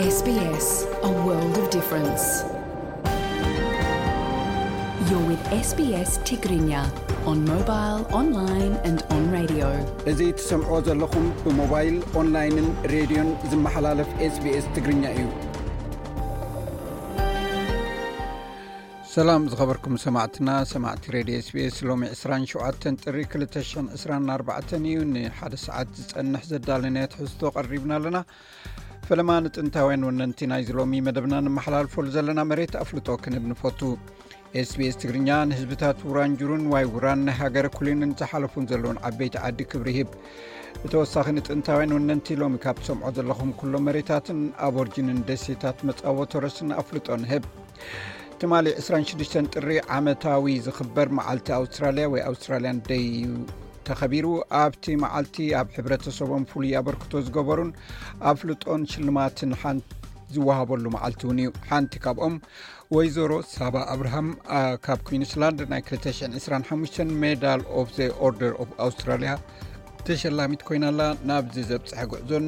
S B S, a world of difference. You're with S B S Tigrinya on mobile, online and on radio. እዚ ትሰምዖ ዘለኹም ብሞባይል፣ ኦንላይንን ሬድዮን ዝመሓላለፍ SBS ትግርኛ እዩ። ሰላም ዝኸበርኩም ሰማዕትና፣ ሰማዕቲ ሬድዮ SBS። ሎሚ ዕስራን ሸውዓተን ጥሪ ክልተ ሽሕን ዕስራን ኣርባዕተን እዩ። ንሓደ ሰዓት ዝጸንሕ ዘዳለናዮ ትሕዝቶ ቀሪብና ኣለና። ፈለማ ንጥንታውያን ወነንቲ ናይዚ ሎሚ መደብና ንመሓላልፈሉ ዘለና መሬት ኣፍልጦ ክንህብ ንፈቱ። SBS ትግርኛ ንህዝብታት ውራንጁሩን ዋይ ውራን ናይ ሃገረ ኩሊንን ዝሓለፉን ዘለውን ዓበይቲ ዓዲ ክብሪ ይህብ። ብተወሳኺ ንጥንታውያን ወነንቲ ሎሚ ካብ ትሰምዖ ዘለኹም ኩሎም መሬታትን ኣቦርጅንን ደሴታት መጻወ ቶረስን ኣፍልጦ ንህብ። ትማሊ ዕስራን ሽዱሽተን ጥሪ ዓመታዊ ዝኽበር መዓልቲ ኣውስትራልያ ወይ ኣውስትራልያን ደይ እዩ ተኸቢሩ። ኣብቲ መዓልቲ ኣብ ሕብረተሰቦም ፍሉይ ኣበርክቶ ዝገበሩን ኣፍልጦን ሽልማትን ሓን-፣ ዝወሃበሉ መዓልቲ እውን እዩ። ሓንቲ ካብኦም ወይዘሮ ሳባ ኣብርሃም፣ ኣ፣ ካብ ኩዊንስላንድ ናይ ክልተ ሽሕን ዕስራን ሓሙሽተን ሜዳል ኦፍ ዘ ኦርደር ኦፍ ኣውስትራልያ ተሸላሚት ኮይና ኣላ። ናብዚ ዘብጽሐ ጉዕዞን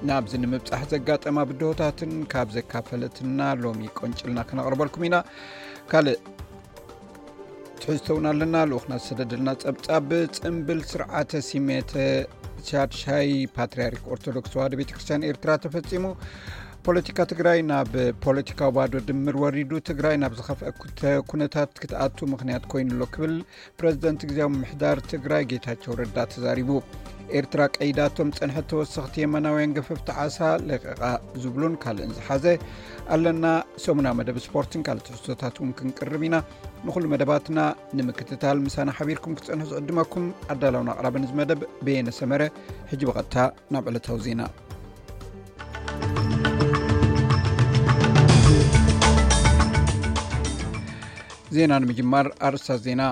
ናብዚ ንምብጻሕ ዘጋጠማ ብድሆታትን ካብ ዘካፈለትና ሎሚ ቆንጭልና ክነቕርበልኩም ኢና። ካልእ ትሕዝቶ እውን ኣለና። ልኡኽና ዝሰደደልና ጸብጻብ፣ ጽምብል ስርዓተ ሲሜተ ሻድሻይ ፓትርያርክ ኦርቶዶክስ ተዋህዶ ቤተ ክርስቲያን ኤርትራ ተፈጺሙ። ፖለቲካ ትግራይ ናብ ፖለቲካዊ ባዶ ድምር ወሪዱ፣ ትግራይ ናብ ዝኸፍአ ኩተ-፣ ኩነታት ክትኣቱ ምኽንያት ኮይኑ ኣሎ ክብል ፕረዚደንት ግዝያዊ ምምሕዳር ትግራይ ጌታቸው ረዳ ተዛሪቡ። ኤርትራ ቀይዳቶም ጸንሐት ተወሰኽቲ የመናውያን ገፈፍቲ ዓሳ ለቂቓ ዝብሉን ካልእን ዝሓዘ ኣለና። ሰሙና መደብ ስፖርትን ካልእ ትሕዝቶታት እውን ክንቅርብ ኢና። ንኹሉ መደባትና ንምክትታል ምሳና ሓቢርኩም ክትጸንሑ ዝዕድመኩም ኣዳላውን ኣቕራብን እዚ መደብ በየነ ሰመረ። ሕጂ ብቐጥታ ናብ ዕለታዊ ዜና። ዜና ንምጅማር ኣርእስታት ዜና።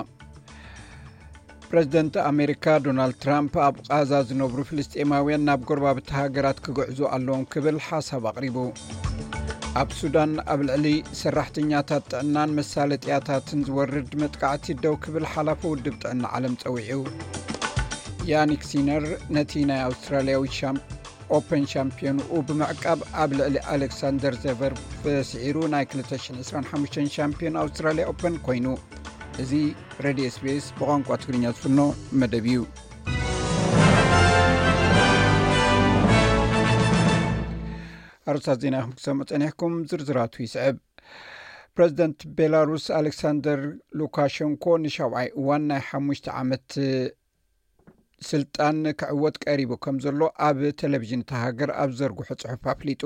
ፕረዚደንት ኣሜሪካ ዶናልድ ትራምፕ ኣብ ቃዛ ዝነብሩ ፍልስጤማውያን ናብ ጎረባብቲ ሃገራት ክግዕዙ ኣለዎም ክብል ሓሳብ ኣቕሪቡ። ኣብ ሱዳን ኣብ ልዕሊ ሰራሕተኛታት ጥዕናን መሳለጥያታትን ዝወርድ መጥቃዕቲ ደው ክብል ሓላፊ ውድብ ጥዕና ዓለም ጸዊዑ። ያኒክ ሲነር ነቲ ናይ ኣውስትራልያዊ ሻም-፣ ኦፐን ሻምፒዮንኡ ብምዕቃብ ኣብ ልዕሊ ኣሌክሳንደር ዘቨርቭ ስዒሩ ናይ ክልተ ሽሕን ዕስራን ሓሙሽተን ሻምፒዮን ኣውስትራልያ ኦፐን ኮይኑ። እዚ ሬድዮ SBS ብቋንቋ ትግርኛ ዝፍኖ መደብ እዩ። ኣርእስታት ዜና ኢኹም ክሰምዑ ጸኒሕኩም፣ ዝርዝራቱ ይስዕብ። ፕረዚደንት ቤላሩስ ኣሌክሳንደር ሉካሸንኮ ንሻውዓይ እዋን ናይ ሓሙሽተ ዓመት ስልጣን ክዕወት ቀሪቡ ከም ዘሎ ኣብ ቴሌቪዥን እታ ሃገር ኣብ ዘርግሖ ጽሑፍ ኣፍሊጡ።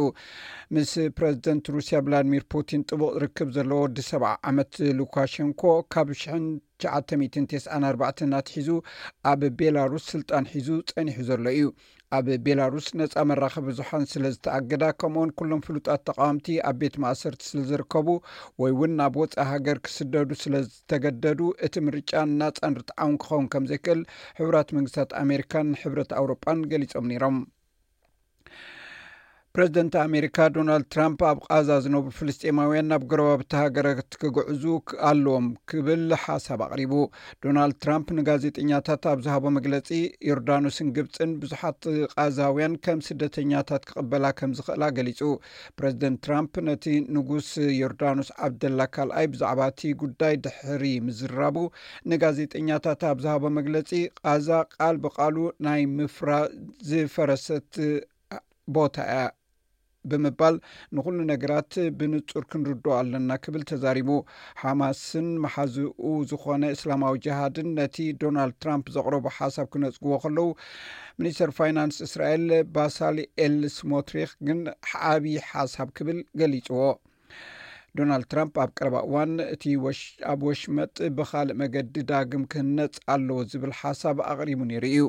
ምስ ፕረዚደንት ሩስያ ቭላድሚር ፑቲን ጥቡቕ ርክብ ዘለዎ ወዲ ሰብዓ ዓመት ሉካሸንኮ ካብ ሽሕን ትሽዓተ ሚእትን ተስዓን ኣርባዕተን ኣትሒዙ ኣብ ቤላሩስ ስልጣን ሒዙ ጸኒሑ ዘሎ እዩ። ኣብ ቤላሩስ ነጻ መራኸቢ ብዙሓን ስለ ዝተኣገዳ፣ ከምኡውን ኩሎም ፍሉጣት ተቃወምቲ ኣብ ቤት ማእሰርቲ ስለ ዝርከቡ ወይ እውን ናብ ወጻኢ ሃገር ክስደዱ ስለ ዝተገደዱ፣ እቲ ምርጫ ናጻን ርትዓውን ክኸውን ከም ዘይክእል ሕቡራት መንግስታት ኣሜሪካን ሕብረት ኣውሮጳን ገሊጾም ነይሮም። ፕረዚደንት ኣሜሪካ ዶናልድ ትራምፕ ኣብ ቃዛ ዝነብሩ ፍልስጤማውያን ናብ ጎረባብቲ ሃገራት ክግዕዙ ክ-፣ ኣለዎም ክብል ሓሳብ ኣቕሪቡ። ዶናልድ ትራምፕ ንጋዜጠኛታት ኣብ ዝሃቦ መግለጺ፣ ዮርዳኖስን ግብጽን ብዙሓት ቃዛውያን ከም ስደተኛታት ክቕበላ ከም ዝኽእላ ገሊጹ። ፕረዚደንት ትራምፕ ነቲ ንጉስ ዮርዳኖስ ዓብደላ ካልኣይ ብዛዕባ እቲ ጉዳይ ድሕሪ ምዝራቡ ንጋዜጠኛታት ኣብ ዝሃቦ መግለጺ፣ ቃዛ ቃል ብቃሉ ናይ ምፍራ-፣ ዝፈረሰት ቦታ እያ ብምባል፣ ንኹሉ ነገራት ብንጹር ክንርድኦ ኣለና ክብል ተዛሪቡ። ሓማስን መሓዝኡ ዝኾነ እስላማዊ ጅሃድን ነቲ ዶናልድ ትራምፕ ዘቕረቦ ሓሳብ ክነጽግዎ ከለዉ፣ ሚኒስተር ፋይናንስ እስራኤል ባሳሊኤል ስሞትሪክ ግን ዓቢ ሓሳብ ክብል ገሊጽዎ። ዶናልድ ትራምፕ ኣብ ቀረባ እዋን እቲ ወሽ-፣ ኣብ ወሽመጥ ብኻልእ መገዲ ዳግም ክህነጽ ኣለዎ ዝብል ሓሳብ ኣቕሪቡ ነይሩ እዩ።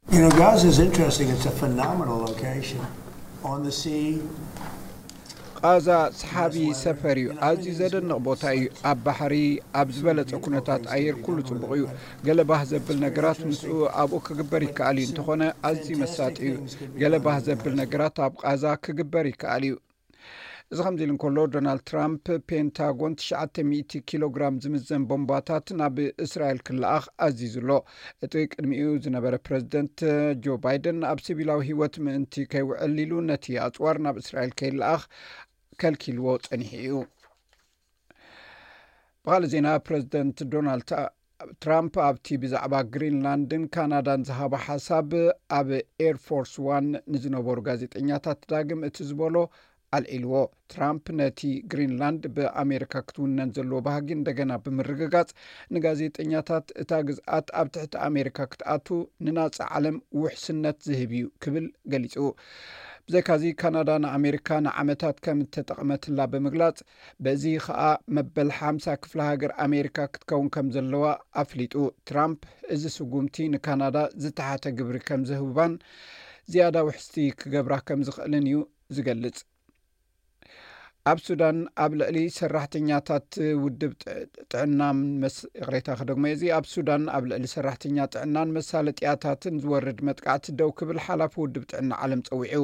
You know, Gaza is interesting. It's a phenomenal location on the sea. ቃዛ ሰሓቢ ሰፈር እዩ። ኣዝዩ ዘደንቕ ቦታ እዩ። ኣብ ባሕሪ፣ ኣብ ዝበለጸ ኩነታት ኣየር ኩሉ ጽቡቕ እዩ። ገለ ባህ ዘብል ነገራት ምስኡ ኣብኡ ክግበር ይከኣል እዩ። እንተኾነ ኣዝዩ መሳጢ እዩ። ገለ ባህ ዘብል ነገራት ኣብ ቃዛ ክግበር ይከኣል እዩ። እዚ ከምዚ ኢሉ እንከሎ፣ ዶናልድ ትራምፕ ፔንታጎን ትሽዓተ ሚእቲ ኪሎ ግራም ዝምዘን ቦምባታት ናብ እስራኤል ክለኣኽ ኣዚዙ ኣሎ። እቲ ቅድሚኡ ዝነበረ ፕረዚደንት ጆ ባይደን ኣብ ሲቪላዊ ህይወት ምእንቲ ከይውዕል ኢሉ ነቲ ኣጽዋር ናብ እስራኤል ከይለኣኽ ከልኪልዎ ጸኒሑ እዩ። ብኻልእ ዜና፣ ፕረዚደንት ዶናልድ ትራምፕ ኣብቲ ብዛዕባ ግሪንላንድን ካናዳን ዝሃቦ ሓሳብ ኣብ ኤርፎርስ ዋን ንዝነበሩ ጋዜጠኛታት ዳግም እቲ ዝበሎ ኣልዒልዎ። ትራምፕ ነቲ ግሪንላንድ ብኣሜሪካ ክትውነን ዘለዎ ባህጊ እንደገና ብምርግጋጽ፣ ንጋዜጠኛታት እታ ግዝኣት ኣብ ትሕቲ ኣሜሪካ ክትኣቱ ንናጻ ዓለም ውሕስነት ዝህብ እዩ ክብል ገሊጹ። ብዘይካዚ፣ ካናዳ ንኣሜሪካ ንዓመታት ከም እተጠቕመትላ ብምግላጽ፣ በዚ ኸኣ መበል ሓምሳ ክፍለ ሃገር ኣሜሪካ ክትከውን ከም ዘለዋ ኣፍሊጡ። ትራምፕ እዚ ስጉምቲ ንካናዳ ዝተሓተ ግብሪ ከም ዝህባን ዝያዳ ውሕስቲ ክገብራ ከም ዝኽእልን እዩ ዝገልጽ። ኣብ ሱዳን ኣብ ልዕሊ ሰራሕተኛታት ውድብ ጥ-፣ ጥዕናን መስ-፣ ይቕሬታ ክደግሞ እየ። እዚ ኣብ ሱዳን ኣብ ልዕሊ ሰራሕተኛ ጥዕናን መሳለጥያታትን ዝወርድ መጥቃዕቲ ደው ክብል ሓላፊ ውድብ ጥዕና ዓለም ጸዊዑ።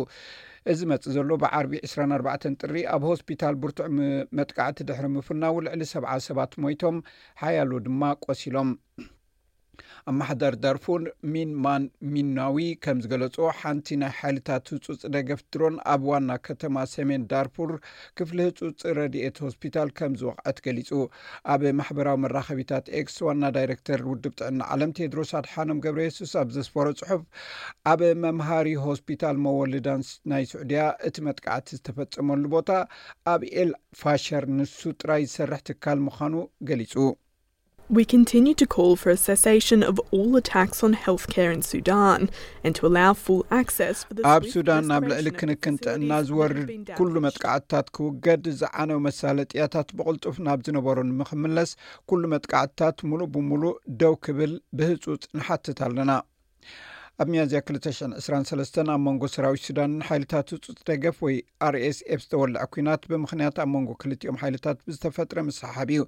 እዚ መጽእ ዘሎ ብዓርቢ ዕስራን ኣርባዕተን ጥሪ ኣብ ሆስፒታል ብርቱዕ ም-፣ መጥቃዕቲ ድሕሪ ምፍናው ልዕሊ ሰብዓ ሰባት ሞይቶም፣ ሓያሎ ድማ ቆሲሎም። ኣመሓዳሪ ዳርፉር ሚን ማን ሚናዊ ከም ዝገለጾ፣ ሓንቲ ናይ ሓይልታት ህጹጽ ደገፍ ድሮን ኣብ ዋና ከተማ ሰሜን ዳርፉር ክፍሊ ህጹጽ ረድኤት ሆስፒታል ከም ዝወቕዐት ገሊጹ። ኣብ ማሕበራዊ መራኸቢታት ኤክስ ዋና ዳይሬክተር ውድብ ጥዕና ዓለም ቴድሮስ ኣድሓኖም ገብረ የሱስ ኣብ ዘስፈሮ ጽሑፍ፣ ኣብ መምሃሪ ሆስፒታል መወልዳን ስ-፣ ናይ ስዑድያ እቲ መጥቃዕቲ ዝተፈጸመሉ ቦታ ኣብ ኤል ፋሸር ንሱ ጥራይ ዝሰርሕ ትካል ምዃኑ ገሊጹ። We continue to call for a cessation of all attacks on healthcare in Sudan and to allow full access for the ኣብ swift ሱዳን ኣብ restoration ልዕሊ of ክንክን facilities ጥዕና that have ዝወርድ been ኩሉ damaged. መጥቃዕትታት ክውገድ፣ ዝዓነው መሳለጥያታት ብቕልጡፍ ናብ ዝነበሮ ንምኽምለስ፣ ኩሉ መጥቃዕትታት ሙሉእ ብሙሉእ ደው ክብል ብህጹጽ ንሓትት ኣለና። ኣብ ሚያዝያ ክልተ ሽሕን ዕስራን ሰለስተን ኣብ መንጎ ሰራዊት ሱዳንን ሓይልታት ህጹጽ ደገፍ ወይ ኣር ኤስ ኤፍ ዝተወልዐ ኲናት፣ ብምኽንያት ኣብ መንጎ ክልቲኦም ሓይልታት ብዝተፈጥረ ምስሕሓብ እዩ።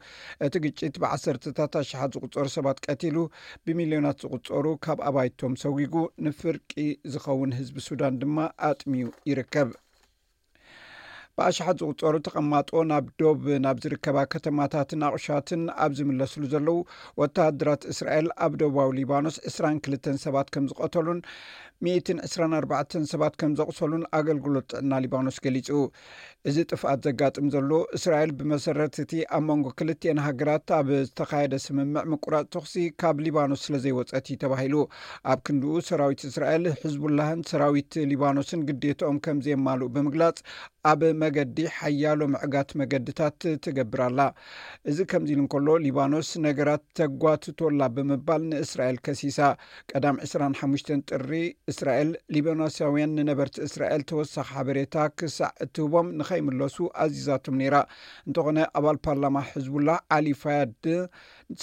እቲ ግጭት ብዓሰርተታት ኣሽሓት ዝቑጸሩ ሰባት ቀቲሉ፣ ብሚልዮናት ዝቑጸሩ ካብ ኣባይቶም ሰጒጉ፣ ንፍርቂ ዝኸውን ህዝቢ ሱዳን ድማ ኣጥሚዩ ይርከብ። ብኣሽሓት ዝቑጸሩ ተቐማጦ ናብ ዶብ ናብ ዝርከባ ከተማታትን ኣቑሻትን ኣብ ዝምለስሉ ዘለዉ፣ ወተሃደራት እስራኤል ኣብ ደቡባዊ ሊባኖስ ዕስራን ክልተን ሰባት ከም ዝቐተሉን ሚእትን ዕስራን ኣርባዕተን ሰባት ከም ዘቑሰሉን ኣገልግሎት ጥዕና ሊባኖስ ገሊጹ። እዚ ጥፍኣት ዘጋጥም ዘሎ፣ እስራኤል ብመሰረት እቲ ኣብ መንጎ ክልቲኤን ሃገራት ኣብ ዝተኻየደ ስምምዕ ምቁራጽ ተኹሲ ካብ ሊባኖስ ስለ ዘይወጸት እዩ ተባሂሉ። ኣብ ክንድኡ፣ ሰራዊት እስራኤል፣ ሕዝቡላህን ሰራዊት ሊባኖስን ግዴትኦም ከም ዘየማልኡ ብምግላጽ፣ ኣብ መገዲ ሓያሎ ምዕጋት መገድታት ትገብር ኣላ። እዚ ከምዚ ኢሉ እንከሎ፣ ሊባኖስ ነገራት ተጓትቶ ኣላ ብምባል ንእስራኤል ከሲሳ። ቀዳም ዕስራን ሓሙሽተን ጥሪ፣ እስራኤል፣ ሊባኖሳውያን ንነበርቲ እስራኤል ተወሳኺ ሓበሬታ ክሳዕ እትህቦም ንኸይምለሱ ኣዚዛቶም ነይራ። እንተኾነ፣ ኣባል ፓርላማ ሕዝቡላህ ዓሊ ፋያድ፣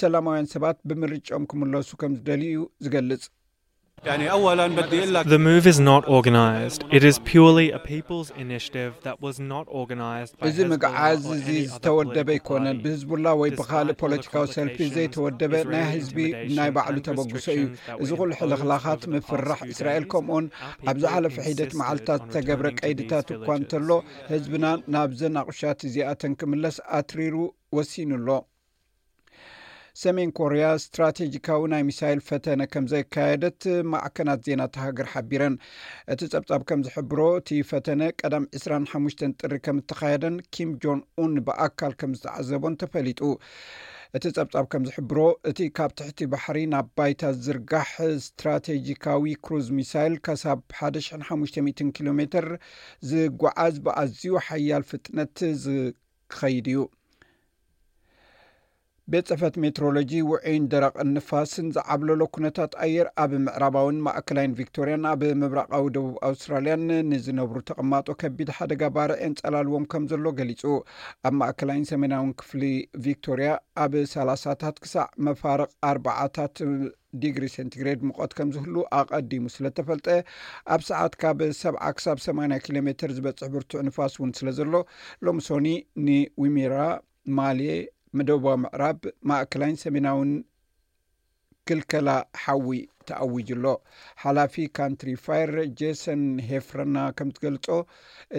ሰላማውያን ሰባት ብምርጫኦም ክምለሱ ከም ዝደልዩ እዩ ዝገልጽ። The move is not organised. It is purely a people's initiative that was not organised by እዚ Hezbollah ምግዓዝ or እዚ any other ዝተወደበ political ኣይኮነን። Party. ብህዝቡላ ወይ ብኻልእ ፖለቲካዊ ሰልፊ ዘይተወደበ ናይ ህዝቢ ናይ ባዕሉ ተበግሶ እዩ። እዚ ኩሉ ሕልኽላኻት፣ ምፍርራሕ እስራኤል፣ ከምኡውን ኣብ ዝሓለፈ ሒደት መዓልታት ዝተገብረ ቀይድታት እኳ እንተሎ፣ ህዝብና ናብዘን ኣቑሻት እዚኣተን ክምለስ ኣትሪሩ ወሲኑ ኣሎ። ሰሜን ኮርያ ስትራቴጂካዊ ናይ ሚሳይል ፈተነ ከም ዘካየደት ማዕከናት ዜና እታ ሃገር ሓቢረን። እቲ ጸብጻብ ከም ዝሕብሮ፣ እቲ ፈተነ ቀዳም ዕስራን ሓሙሽተን ጥሪ ከም እተኻየደን ኪም ጆን ኡን ብኣካል ከም ዝተዓዘቦን ተፈሊጡ። እቲ ጸብጻብ ከም ዝሕብሮ፣ እቲ ካብ ትሕቲ ባሕሪ ናብ ባይታ ዝዝርጋሕ ስትራቴጂካዊ ክሩዝ ሚሳይል፣ ክሳብ ሓደ ሽሕን ሓሙሽተ ሚእትን ኪሎ ሜትር ዝጓዓዝ፣ ብኣዝዩ ሓያል ፍጥነት ዝኸይድ እዩ። ቤት ጽሕፈት ሜትሮሎጂ፣ ውዑይን ደረቕን ንፋስን ዝዓብለሎ ኩነታት ኣየር ኣብ ምዕራባውን ማእከላይን ቪክቶርያን ኣብ ምብራቓዊ ደቡብ ኣውስትራልያን ንዝነብሩ ተቐማጦ ከቢድ ሓደጋ ባርዕ የንጸላልዎም ከም ዘሎ ገሊጹ። ኣብ ማእከላይን ሰሜናውን ክፍሊ ቪክቶርያ ኣብ ሰላሳታት ክሳዕ መፋርቕ ኣርባዓታት ዲግሪ ሴንቲግሬድ ሙቐት ከም ዝህሉ ኣቐዲሙ ስለ እተፈልጠ፣ ኣብ ሰዓት ካብ ሰብዓ ክሳብ ሰማንያ ኪሎ ሜትር ዝበጽሕ ብርቱዕ ንፋስ እውን ስለ ዘሎ፣ ሎሚ ሶኒ ንዊሚራ፣ ማልየ፣ ደቡባዊ ምዕራብ፣ ማእከላይን ሰሜናውን ክልከላ ሓዊ ተኣዊጁ ኣሎ። ሓላፊ ካንትሪ ፋየር ጄሰን ሄፍረና ከም ዝገልጾ፣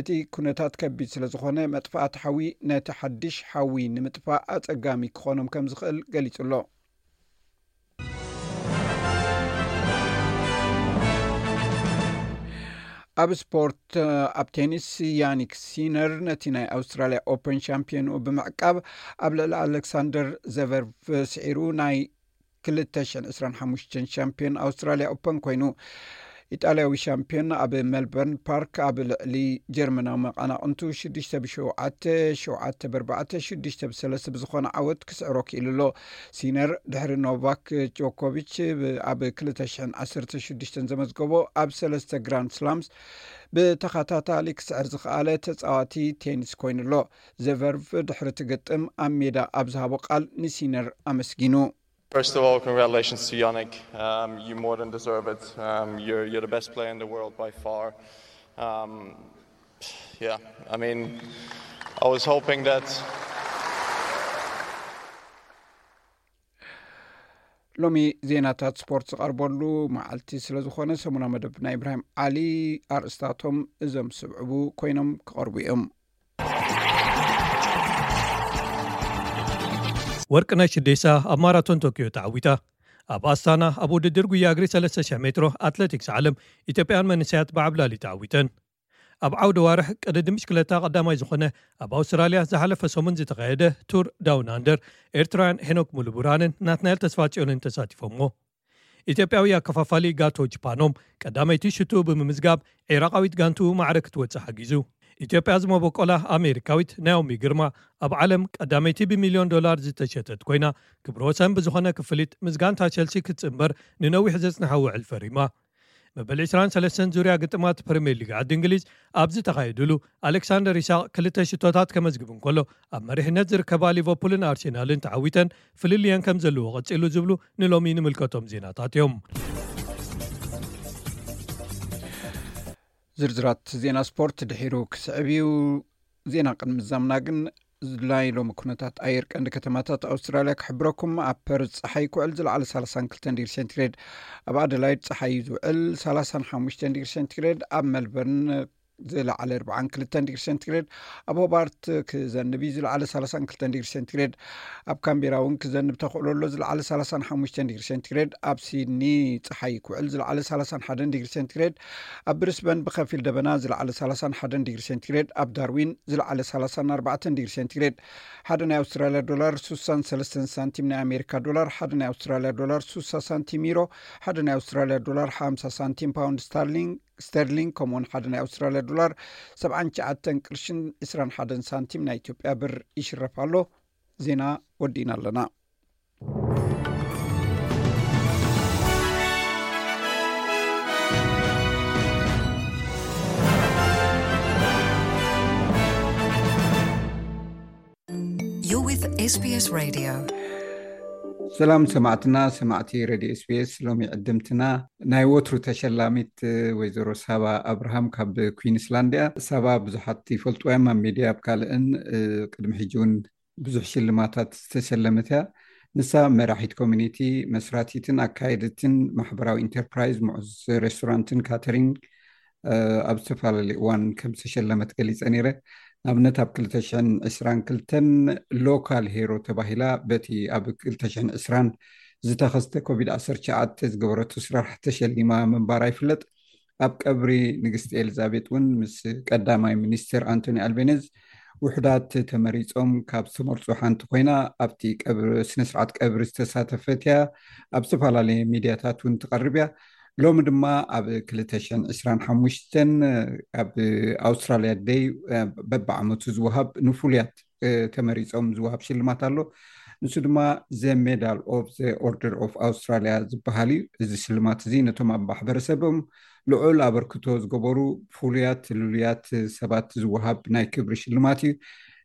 እቲ ኩነታት ከቢድ ስለ ዝኾነ፣ መጥፋእቲ ሓዊ ነቲ ሓድሽ ሓዊ ንምጥፋእ ኣጸጋሚ ክኾኖም ከም ዝኽእል ገሊጹ ኣሎ። ኣብ ስፖርት፣ ኣብ ቴኒስ፣ ያኒክ ሲነር ነቲ ናይ ኣውስትራልያ ኦፐን ሻምፒዮንኡ ብምዕቃብ፣ ኣብ ልዕሊ ኣሌክሳንደር ዘቨርቭ ስዒሩ ናይ ክልተ ሽሕን ዕስራን ሓሙሽተን ሻምፒዮን ኣውስትራልያ ኦፐን ኮይኑ። ኢጣልያዊ ሻምፒዮን ኣብ ሜልበርን ፓርክ ኣብ ልዕሊ ጀርመናዊ መቐናቕንቱ ሽዱሽተ ብሸውዓተ፣ ሸውዓተ ብኣርባዕተ፣ ሽዱሽተ ብሰለስተ ብዝኾነ ዓወት ክስዕሮ ክኢሉ ኣሎ። ሲነር ድሕሪ ኖቫክ ጆኮቪች ብ-፣ ኣብ ክልተ ሽሕን ዓሰርተ ሽዱሽተን ዘመዝገቦ ኣብ ሰለስተ ግራንድ ስላምስ ብተኸታታሊ ክስዕር ዝኸኣለ ተጻዋቲ ቴኒስ ኮይኑ ኣሎ። ዘቨርቭ ድሕሪ እቲ ግጥም ኣብ ሜዳ ኣብ ዝሃቦ ቃል ንሲነር ኣመስጊኑ። First of all, congratulations to Yannick. Um, you more than deserve it. Um, you're, you're the best player in the world by far. Um, yeah, I mean, I was hoping that ሎሚ ዜናታት ስፖርት ዝቐርበሉ መዓልቲ ስለ ዝኾነ፣ ሰሙና መደብ ናይ ኢብራሂም ዓሊ ኣርእስታቶም እዞም ስብዕቡ ኮይኖም ክቐርቡ እዮም። ወርቅነሽ ኢዴሳ ኣብ ማራቶን ቶኪዮ ተዓዊታ። ኣብ ኣስታና ኣብ ውድድር ጉያ እግሪ ሰለስተ ሽሕ ሜትሮ ኣትሌቲክስ ዓለም፣ ኢትዮጵያን መንእሰያት ብዓብላሊ ተዓዊተን። ኣብ ዓውደ ዋርሕ ቅድድም ብሽክለታ ቀዳማይ ዝኾነ፣ ኣብ ኣውስትራልያ ዝሓለፈ ሰሙን ዝተኻየደ ቱር ዳውን ኣንደር፣ ኤርትራውያን ሄኖክ ሙሉብርሃንን ናትናኤል ተስፋጽዮንን ተሳቲፎሞ። ኢትዮጵያዊ ኣከፋፋሊ ጋቶ ጅፓኖም ቀዳመይቲ ሽቱ ብምምዝጋብ፣ ዒራቓዊት ጋንቱ ማዕረ ክትወጽእ ሓጊዙ። ኢትዮጵያ ዝመበቆላ ኣሜሪካዊት ናኦሚ ግርማ፣ ኣብ ዓለም ቀዳመይቲ ብሚልዮን ዶላር ዝተሸጠት ኮይና፣ ክብረ ወሰን ብዝኾነ ክፍሊት ምስ ጋንታ ቸልሲ ክትጽንበር ንነዊሕ ዘጽንሓ ውዕል ፈሪማ። መበል ዕስራን ሰለስተን ዙርያ ግጥማት ፕሪምየር ሊግ ዓዲ እንግሊዝ ኣብ ዝተኻየድሉ፣ ኣሌክሳንደር ኢሳቕ ክልተ ሽቶታት ከመዝግብ እንከሎ፣ ኣብ መሪሕነት ዝርከባ ሊቨርፑልን ኣርሴናልን ተዓዊተን ፍልልየን ከም ዘለዎ ቀጺሉ ዝብሉ ንሎሚ ንምልከቶም ዜናታት እዮም። ዝርዝራት ዜና ስፖርት ድሒሩ ክስዕብ እዩ። ዜና ቅድሚ ምዛምና ግን፣ ናይ ሎሚ ኩነታት ኣየር ቀንዲ ከተማታት ኣውስትራልያ ክሕብረኩም። ኣብ ፐርዝ ጸሓይ ክውዕል፣ ዝለዓለ ሰላሳን ክልተን ዲግሪ ሴንቲግሬድ። ኣብ ኣደላይድ ጸሓይ እዩ ዝውዕል፣ ሰላሳን ሓሙሽተን ዲግሪ ሴንቲግሬድ። ኣብ ሜልበርን ዝለዓለ ኣርባዓን ክልተን ዲግሪ ሴንቲግሬድ። ኣብ ሆባርት ክዘንብ እዩ፣ ዝለዓለ ሰላሳን ክልተን ዲግሪ ሴንቲግሬድ። ኣብ ካምቤራ እውን ክዘንብ ተኽእሎ ኣሎ፣ ዝለዓለ ሰላሳን ሓሙሽተን ዲግሪ ሴንቲግሬድ። ኣብ ሲድኒ ጸሓይ ክውዕል፣ ዝለዓለ ሰላሳን ሓደን ዲግሪ ሴንቲግሬድ። ኣብ ብሪስበን ብኸፊል ደበና፣ ዝለዓለ ሰላሳን ሓደን ዲግሪ ሴንቲግሬድ። ኣብ ዳርዊን ዝለዓለ ሰላሳን ኣርባዕተን ዲግሪ ሴንቲግሬድ። ሓደ ናይ ኣውስትራልያ ዶላር ሱሳን ሰለስተን ሳንቲም፣ ናይ ኣሜሪካ ዶላር ሓደ ናይ ኣውስትራልያ ዶላር ሱሳ ሳንቲም፣ ዩሮ ሓደ ናይ ኣውስትራልያ ዶላር ሓምሳ ሳንቲም፣ ፓውንድ ስታርሊንግ ስተርሊንግ፣ ከምኡውን ሓደ ናይ ኣውስትራልያ ዶላር ሰብዓን ትሽዓተን ቅርሽን ዕስራን ሓደን ሳንቲም ናይ ኢትዮጵያ ብር ይሽረፍ ኣሎ። ዜና ወዲእና ኣለና። You're with S B S Radio. ሰላም ሰማዕትና፣ ሰማዕቲ ሬድዮ ኤስቢኤስ። ሎሚ ዕድምትና ናይ ወትሩ ተሸላሚት ወይዘሮ ሳባ ኣብርሃም ካብ ኩዊንስላንድ እያ። ሳባ ብዙሓት ይፈልጥዋ እዮም ኣብ ሚድያ፣ ኣብ ካልእን፣ እ፣ ቅድሚ ሕጂ እውን ብዙሕ ሽልማታት ዝተሸለመት እያ። ንሳ መራሒት ኮሚኒቲ፣ መስራቲትን ኣካየድትን ማሕበራዊ ኢንተርፕራይዝ ምዑዝ ሬስቶራንትን ካተሪንግ፣ እ፣ ኣብ ዝተፈላለዩ እዋን ከም ዝተሸለመት ገሊጸ ነይረ። ንኣብነት ኣብ ክልተ ሽሕን ዕስራን ክልተን ሎካል ሄሮ ተባሂላ በቲ ኣብ ክልተ ሽሕን ዕስራን ዝተኸስተ ኮቪድ ዓሰርተ ትሽዓተ ዝገበረቶ ስራሕ ተሸሊማ ምንባራ ይፍለጥ። ኣብ ቀብሪ ንግስቲ ኤልዛቤጥ እውን ምስ ቀዳማይ ሚኒስትር ኣንቶኒ ኣልቤነዝ ውሑዳት ተመሪጾም ካብ ዝተመርጹ ሓንቲ ኮይና፣ ኣብቲ ቀብሪ፣ ስነ ስርዓት ቀብሪ ዝተሳተፈት እያ። ኣብ ዝተፈላለየ ሚድያታት እውን ትቐርብ እያ። ሎሚ ድማ ኣብ ክልተ ሽሕን ዕስራን ሓሙሽተን ኣብ ኣውስትራልያ ደይ በብዓመቱ ዝወሃብ ንፍሉያት፣ እ፣ ተመሪጾም ዝወሃብ ሽልማት ኣሎ። ንሱ ድማ ዘ ሜዳል ኦፍ ዘ ኦርደር ኦፍ ኣውስትራልያ ዝበሃል እዩ። እዚ ሽልማት እዚ ነቶም ኣብ ማሕበረሰቦም ልዑል ኣበርክቶ ዝገበሩ ፍሉያት ልሉያት ሰባት ዝወሃብ ናይ ክብሪ ሽልማት እዩ።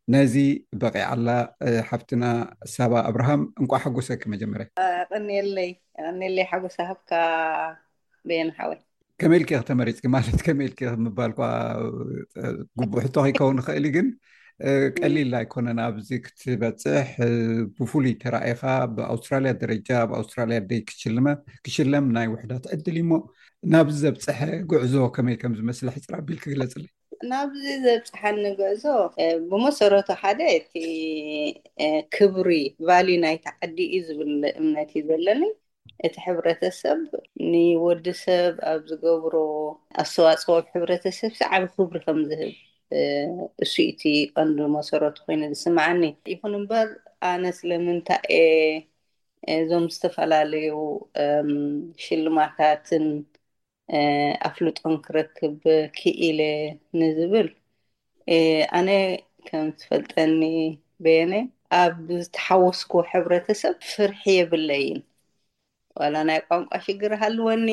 ነዚ በቒዓላ፣ እ፣ ሓፍትና ሳባ ኣብርሃም፣ እንቋዕ ሓጎሰኪ መጀመርያ። ቀንየለይ፣ ቀንየለይ ሓጎስ ሃብካ በየነ ሓወይ። ከመይ ኢልኪ ኢኺ ተመሪጽኪ? ማለት ከመይ ኢልኪ ኢኺ ምባል እኳ፣ እ፣ ግቡእ ሕቶ ከይከውን ይኽእል እዩ፣ ግን ቀሊል ኣይኮነን ኣብዚ ክትበፅሕ። ብፍሉይ ተራኢኻ ብኣውስትራልያ ደረጃ ኣብ ኣውስትራልያ ደይ ክሽልመ ክሽለም ናይ ውሕዳት ዕድል እሞ ናብዚ ዘብፅሐ ጉዕዞ ከመይ ከም ዝመስል ሕፅር ኣቢል ክግለፅለይ። ናብዚ ዘብፅሓኒ ጉዕዞ ብመሰረቱ ሓደ እቲ ክብሪ ቫሊ ናይቲ ዓዲ እዩ ዝብል እምነት እዩ ዘለኒ። እቲ ሕብረተሰብ ንወዲ ሰብ ኣብ ዝገብሮ ኣስተዋፅኦ ኣብ ሕብረተሰብ ዓቢ ክብሪ ከም ዝህብ እሱ እቲ ቀንዲ መሰረቱ ኮይኑ ዝስምዓኒ። ይኹን እምበር ኣነ ስለምንታይ እየ እዞም ዝተፈላለዩ ሽልማታትን ኣፍልጦን ክረክብ ክኢለ ንዝብል ኣነ ከም ትፈልጠኒ በየነ ኣብ ዝተሓወስኩ ሕብረተሰብ ፍርሒ የብለይን። ዋላ ናይ ቋንቋ ሽግር ሃልወኒ፣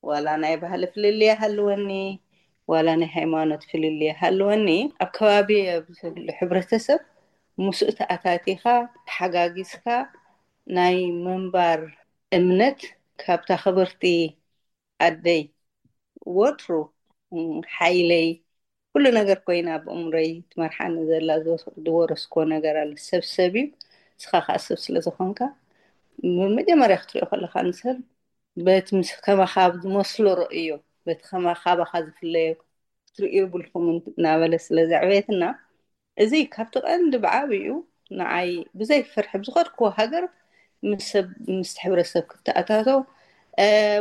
ዋላ ናይ ባህሊ ፍልልይ ሃልወኒ፣ ዋላ ናይ ሃይማኖት ፍልልይ ሃልወኒ፣ ኣብ ከባቢ ኣብ ዘሎ ሕብረተሰብ ምስኡ ተኣታቲኻ ተሓጋጊዝካ ናይ ምንባር እምነት ካብታ ክብርቲ ኣደይ ወትሩ ሓይለይ ኩሉ ነገር ኮይና ኣብ እምሮይ ትመርሓኒ ዘላ ዝወረስኮ ነገር ኣለ። ሰብ ሰብ እዩ፣ ንስኻ ከዓ ሰብ ስለ ዝኾንካ መጀመርያ ክትሪኦ ከለካ ንሰብ በቲ ምስ ከማኻ ዝመስሎ ርእዮ፣ በቲ ከማኻ ባኻ ዝፍለዮ ክትሪኦ የብልኩምን እናበለ ስለ ዘዕበየትና እዚ ካብቲ ቀንዲ ብዓብኡ ንዓይ ብዘይ ፍርሒ ብዝኸድክዎ ሃገር ምስ ሰብ ምስ ሕብረተሰብ ክተኣታተው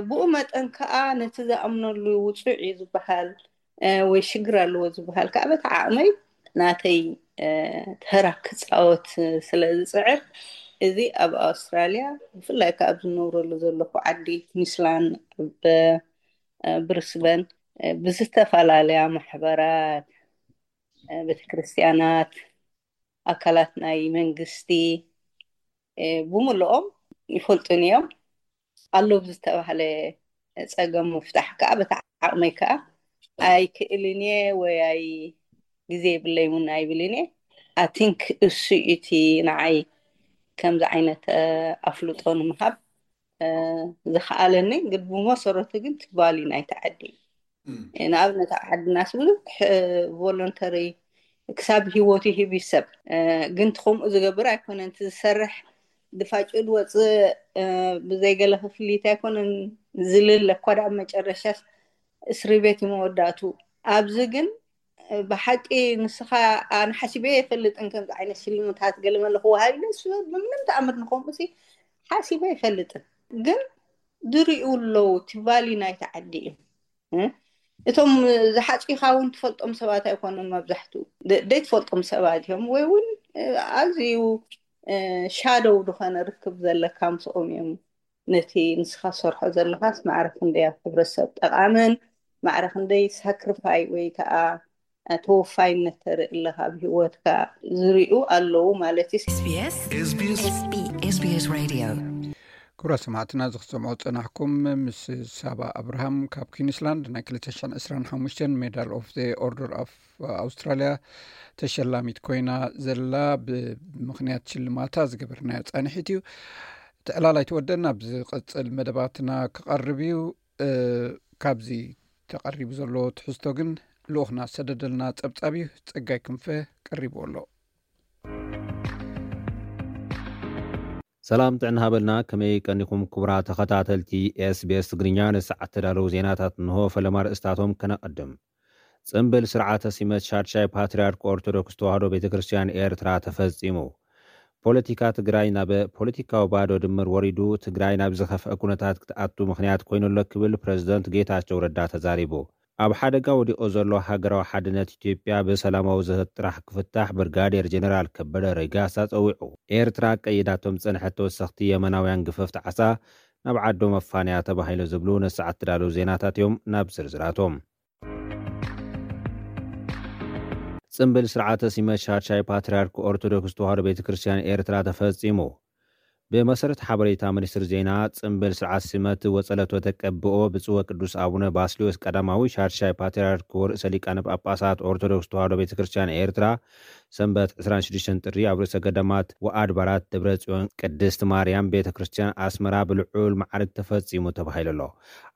ብኡ መጠን ከዓ ነቲ ዝኣምነሉ ውፁዕ እዩ ዝበሃል ወይ ሽግር ኣለዎ ዝበሃል ከዓ በቲ ዓቕመይ ናተይ ተራ ክፃወት ስለ ዝፅዕር እዚ ኣብ ኣውስትራልያ ብፍላይ ከዓ ኣብ ዝነብረሉ ዘለኹ ዓዲ ኩንስላንድ ኣብ ብሪስበን ብዝተፈላለያ ማሕበራት ቤተክርስትያናት ኣካላት ናይ መንግስቲ ብምልኦም ይፈልጡን እዮም። ኣሎ ብዝተባህለ ፀገም ምፍታሕ ከዓ በቲ ዓቕመይ ከዓ ኣይክእልን እየ ወይ ኣይ ግዜ የብለይ እውን ኣይብልን እየ። ኣይ ቲንክ እሱ እዩ እቲ ንዓይ ከምዚ ዓይነት ኣፍልጦ ንምሃብ ዝኸኣለኒ። ግን ብመሰረቱ ግን ትባሊ ናይ ተዓዲ ንኣብነት ኣብ ዓድናስ ብዙሕ ቮለንተሪ ክሳብ ሂወቱ ሂብ ሰብ ግን ከምኡ ዝገብር ኣይኮነን። እቲ ዝሰርሕ ድፋጭ ድወፅእ ብዘይገለ ክፍሊት ኣይኮነን ዝልለ እኳ ዳ መጨረሻስ እስሪ ቤት እዩ መወዳእቱ። ኣብዚ ግን ብሓቂ ንስኻ ኣነ ሓሲበ የፈልጥን ከምዚ ዓይነት ሽልምታት ገለ መለ ክወሃብ ኢለ እሱ ብምንም ተኣምር ንኸምኡ ሲ ሓሲበ የፈልጥን። ግን ዝሪኡ ኣለዉ እቲ ቫሊ ናይቲ ዓዲ እዩ። እቶም ዝሓፂኻ እውን ትፈልጦም ሰባት ኣይኮኑን መብዛሕትኡ ደይትፈልጦም ሰባት እዮም ወይ እውን ኣዝዩ ሻደው ዝኾነ ርክብ ዘለካ ምስኦም እዮም። ነቲ ንስኻ ሰርሖ ዘለኻስ ማዕረ ክንደይ ኣብ ሕብረተሰብ ጠቓምን ማዕረ ክንደይ ሳክሪፋይ ወይ ከዓ ተወፋይነት ተርኢ ኣለኻ ኣብ ህይወትካ ዝሪኡ ኣለዉ ማለት እዩ። SBS SBS SBS Radio። ክቡራት ሰማዕትና እዚ ክትሰምዑ ዝጸናሕኩም ምስ ሳባ ኣብርሃም ካብ ኩንስላንድ ናይ ክልተ ሽሕን ዕስራን ሓሙሽተን ሜዳል ኦፍ ዘ ኦርደር ኦፍ ኣውስትራልያ ተሸላሚት ኮይና ዘላ ብምኽንያት ሽልማታ ዝገበርናዮ ጻንሒት እዩ። እቲ ዕላል ኣይተወደን ኣብ ዝቕጽል መደባትና ክቐርብ እዩ። ካብዚ ተቐሪቡ ዘሎ ትሕዝቶ ግን ልኡኽና ዝሰደደልና ጸብጻብ እዩ። ጸጋይ ክንፈ ቀሪብዎ ኣሎ። ሰላም ጥዕና ሃበልና። ከመይ ቀኒኹም ክቡራት ተኸታተልቲ SBS ትግርኛ? ንሰዓት ተዳለዉ ዜናታት እንሆ። ፈለማ ርእስታቶም ከነቐድም። ጽምብል ስርዓተ ሲመት ሻድሻይ ፓትርያርክ ኦርቶዶክስ ተዋህዶ ቤተ ክርስቲያን ኤርትራ ተፈጺሙ። ፖለቲካ ትግራይ ናብ ፖለቲካዊ ባዶ ድምር ወሪዱ፣ ትግራይ ናብ ዝኸፍአ ኩነታት ክትኣቱ ምኽንያት ኮይኑ ኣሎ ክብል ፕረዚደንት ጌታቸው ረዳ ተዛሪቡ። ኣብ ሓደጋ ወዲቑ ዘሎ ሃገራዊ ሓድነት ኢትዮጵያ ብሰላማዊ ዘተ ጥራሕ ክፍታሕ ብርጋዴር ጀነራል ከበደ ረጋሳ ጸዊዑ። ኤርትራ ቀይዳቶም ዝጸንሐት ተወሰኽቲ የመናውያን ግፈፍቲ ዓሳ ናብ ዓዶም ኣፋንያ ተባሂሉ ዝብሉ ንሰዓት ትዳለዉ ዜናታት እዮም። ናብ ዝርዝራቶም። ጽምብል ስርዓተ ሲመት ሻድሻይ ፓትርያርክ ኦርቶዶክስ ተዋህዶ ቤተ ክርስቲያን ኤርትራ ተፈጺሙ። ብመሰረት ሓበሬታ ሚኒስትሪ ዜና፣ ጽምብል ስርዓት ሲመት ወጸለቶ ተቀብኦ ብፁዕ ወቅዱስ ኣቡነ ባስልዮስ ቀዳማዊ ሻድሻይ ፓትርያርክ ወርእሰ ሊቃነ ጳጳሳት ኦርቶዶክስ ተዋህዶ ቤተ ክርስቲያን ኤርትራ ሰንበት ዕስራን ሽዱሽተን ጥሪ ኣብ ርእሰ ገዳማት ወኣድባራት ደብረ ጽዮን ቅድስት ማርያም ቤተ ክርስቲያን ኣስመራ ብልዑል ማዕርግ ተፈጺሙ ተባሂሉ ኣሎ።